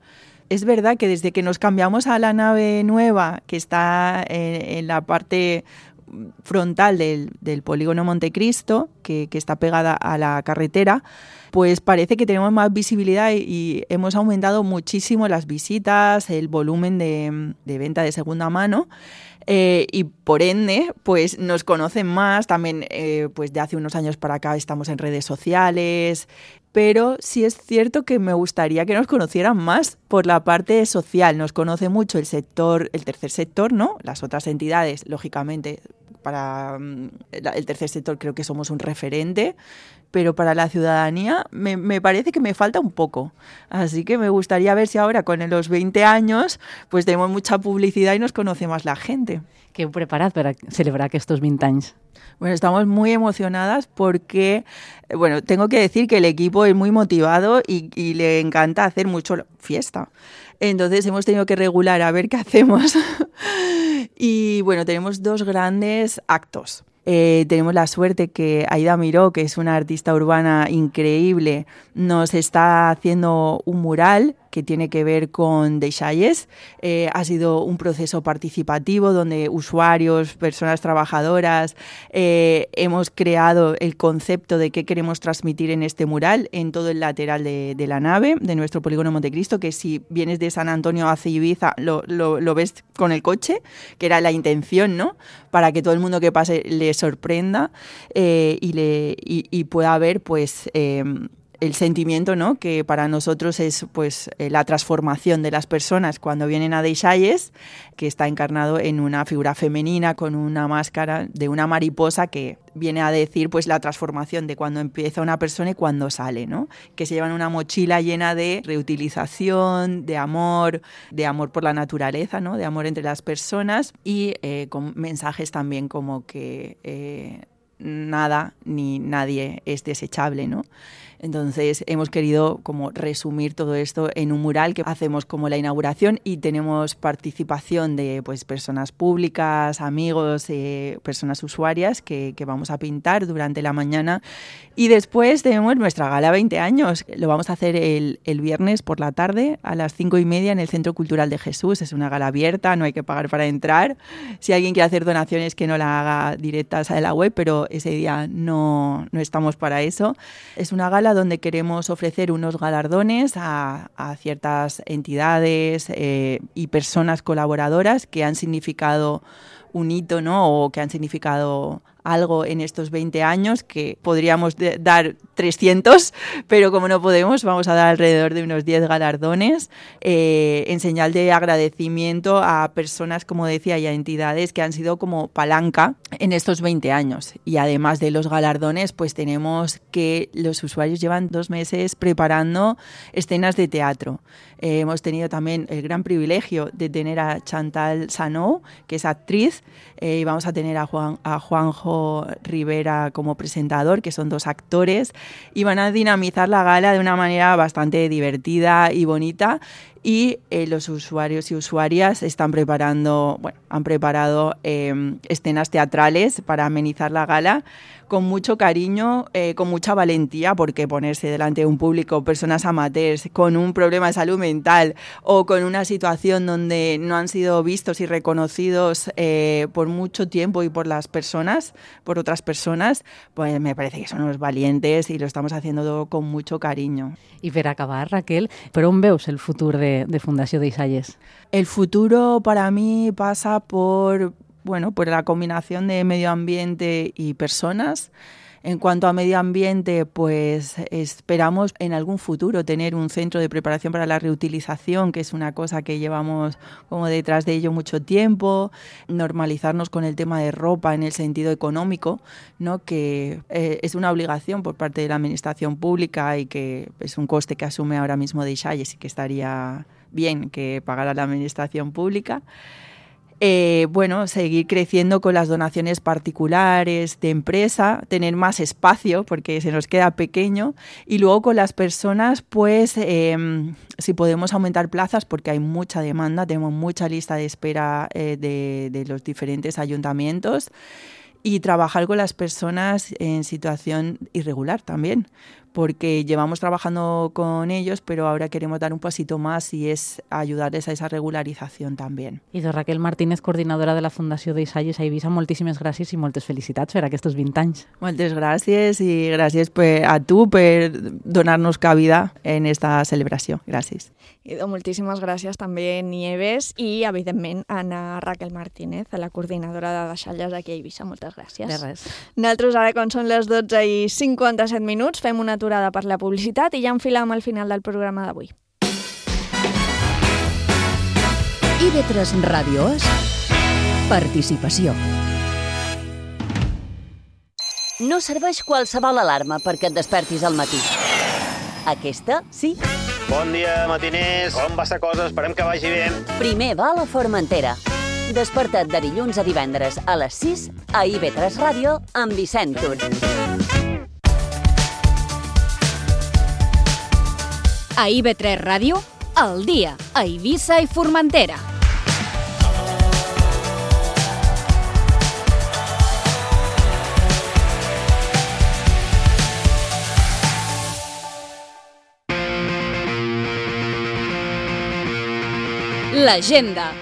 Es verdad que desde que nos cambiamos a la nave nueva, que está en la parte frontal del polígono Montecristo, que está pegada a la carretera, pues parece que tenemos más visibilidad y hemos aumentado muchísimo las visitas, el volumen de venta de segunda mano. Y por ende, pues nos conocen más, también pues de hace unos años para acá estamos en redes sociales, pero sí es cierto que me gustaría que nos conocieran más por la parte social. Nos conoce mucho el tercer sector, ¿no? Las otras entidades, lógicamente, para el tercer sector creo que somos un referente, pero para la ciudadanía me parece que me falta un poco. Así que me gustaría ver si ahora con los 20 años pues tenemos mucha publicidad y nos conoce más la gente. Què heu preparat per celebrar aquests 20 anys? Bueno, estamos muy emocionadas porque, bueno, tengo que decir que el equipo es muy motivado y le encanta hacer mucho fiesta. Entonces hemos tenido que regular a ver qué hacemos Y bueno, tenemos 2 grandes actos. Tenemos la suerte que Aida Miró, que es una artista urbana increíble, nos está haciendo un mural que tiene que ver con Deixalles. Ha sido un proceso participativo donde usuarios, personas trabajadoras, hemos creado el concepto de qué queremos transmitir en este mural en todo el lateral de la nave de nuestro polígono Montecristo, que si vienes de San Antonio hacia Ibiza lo ves con el coche, que era la intención, ¿no? Para que todo el mundo que pase le sorprenda y pueda ver, pues, el sentimiento, ¿no? Que para nosotros es, pues, la transformación de las personas cuando vienen a Deixalles, que está encarnado en una figura femenina con una máscara de una mariposa que viene a decir, pues, la transformación de cuando empieza una persona y cuando sale, ¿no? Que se llevan una mochila llena de reutilización, de amor por la naturaleza, ¿no? De amor entre las personas y con mensajes también como que nada ni nadie es desechable, ¿no? Entonces hemos querido como resumir todo esto en un mural que hacemos como la inauguración y tenemos participación de, pues, personas públicas, amigos, personas usuarias que vamos a pintar durante la mañana y después tenemos nuestra gala 20 años. Lo vamos a hacer el viernes por la tarde a las 5:30 en el Centro Cultural de Jesús. Es una gala abierta, no hay que pagar para entrar. Si alguien quiere hacer donaciones que no la haga directas a la web, pero ese día no estamos para eso. Es una gala donde queremos ofrecer unos galardones a ciertas entidades y personas colaboradoras que han significado un hito, ¿no? O que han significado algo en estos 20 años, que podríamos dar 300, pero como no podemos, vamos a dar alrededor de unos 10 galardones en señal de agradecimiento a personas, como decía, y a entidades que han sido como palanca en estos 20 años. Y además de los galardones, pues tenemos que los usuarios llevan 2 meses preparando escenas de teatro. Hemos tenido también el gran privilegio de tener a Chantal Sanou, que es actriz, y vamos a tener a Juanjo Rivera como presentador, que son 2 actores, y van a dinamizar la gala de una manera bastante divertida y bonita. Y los usuarios y usuarias han preparado escenas teatrales para amenizar la gala con mucho cariño, con mucha valentía, porque ponerse delante de un público, personas amateurs, con un problema de salud mental o con una situación donde no han sido vistos y reconocidos por mucho tiempo y por otras personas, pues me parece que son unos valientes y lo estamos haciendo todo con mucho cariño. I per acabar, Raquel, per on veus el futur de Fundació Deixalles? El futuro para mí pasa por la combinación de medio ambiente y personas. En cuanto a medio ambiente, pues esperamos en algún futuro tener un centro de preparación para la reutilización, que es una cosa que llevamos como detrás de ello mucho tiempo, normalizarnos con el tema de ropa en el sentido económico, ¿no? Que es una obligación por parte de la administración pública y que es un coste que asume ahora mismo Deixalles y que estaría bien que pagara la administración pública. Seguir creciendo con las donaciones particulares de empresa, tener más espacio porque se nos queda pequeño y luego con las personas, pues si podemos aumentar plazas porque hay mucha demanda, tenemos mucha lista de espera de los diferentes ayuntamientos y trabajar con las personas en situación irregular también, porque llevamos trabajando con ellos, pero ahora queremos dar un pasito más y es ayudarles a esa regularización también. I de Raquel Martínez, coordinadora de la Fundació Deixalles a Eivissa, moltíssimes gràcies i moltes felicitats per aquests 20 anys. Moltes gràcies i gràcies a tu per donar-nos cabida en esta celebració. Gràcies. I moltíssimes gràcies també, Nieves, i evidentment a Raquel Martínez, a la coordinadora de Deixalles aquí a Eivissa. Moltes gràcies. De res. Nosaltres ara, quan són les 12:57, fem una aturada per la publicitat i ja enfilem al final del programa d'avui. IB3 Ràdio És participació. No serveix qualsevol alarma perquè et despertis al matí. Aquesta, sí. Bon dia, matiners. Com va la cosa? Esperem que vagi bé. Primer va a la Formentera. Desperta't de dilluns a divendres a les 6 a IB3 Ràdio amb Vicent Tur. A IB3 Ràdio, al dia, a Eivissa i Formentera. l'agenda.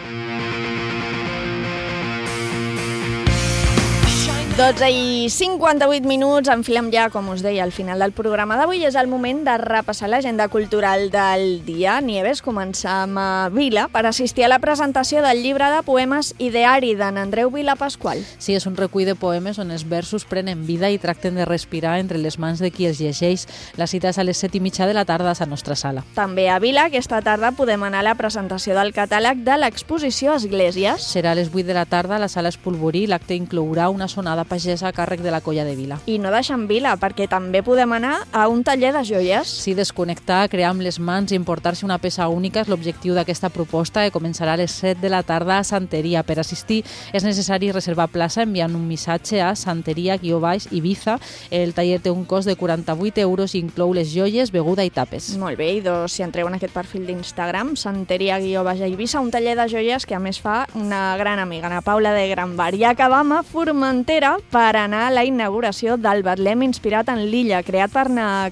12:58, enfilem ja, com us deia, al final del programa d'avui. És el moment de repassar l'agenda cultural del dia. Nieves, començam a Vila per assistir a la presentació del llibre de poemes Ideari d'en Andreu Vila Pasqual. Sí, és un recull de poemes on els versos prenen vida i tracten de respirar entre les mans de qui els llegeix. La cita és a les 7:30 de la tarda a la nostra sala. També a Vila, aquesta tarda podem anar a la presentació del catàleg de l'exposició Esglésies. Serà a les 8 de la tarda a la sala Espolvorí. L'acte inclourà una sonada pagesa a càrrec de la Colla de Vila. I no deixem Vila, perquè també podem anar a un taller de joies. Sí, desconnectar, crear amb les mans i importar-se una peça única és l'objectiu d'aquesta proposta que començarà a les 7 de la tarda a Santeria. Per assistir és necessari reservar plaça enviant un missatge a santeria_Ibiza. El taller té un cost de 48 euros i inclou les joies, beguda i tapes. Molt bé, i si entreu en aquest perfil d'Instagram, santeria_Ibiza, un taller de joies que a més fa una gran amiga, Ana Paula de Granbar. I acabam a Formentera per anar a la inauguració del Betlem inspirat en l'illa, creat per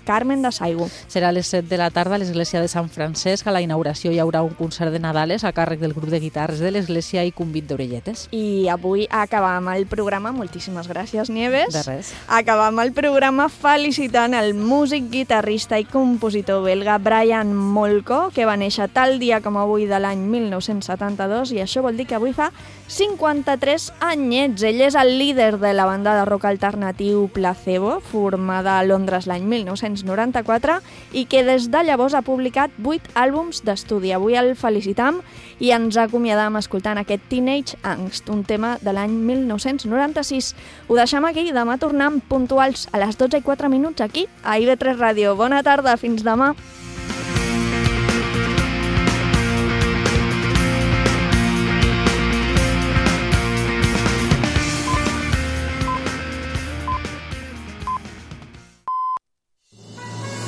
Carmen de Saigo. Serà a les 7 de la tarda a l'església de Sant Francesc. A la inauguració hi haurà un concert de Nadales a càrrec del grup de guitarres de l'església i convit d'orelletes. I avui acabam el programa, moltíssimes gràcies, Nieves. De res. Acabam el programa felicitant el músic, guitarrista i compositor belga Brian Molko, que va néixer tal dia com avui de l'any 1972, i això vol dir que avui fa 53 anyets. Ell és el líder de la banda de rock alternatiu Placebo, formada a Londres l'any 1994 i que des de llavors ha publicat 8 àlbums d'estudi. Avui el felicitam i ens acomiadam escoltant aquest Teenage Angst, un tema de l'any 1996. Ho deixem aquí, demà tornem puntuals a les 12:04 aquí a IB3 Ràdio. Bona tarda, fins demà.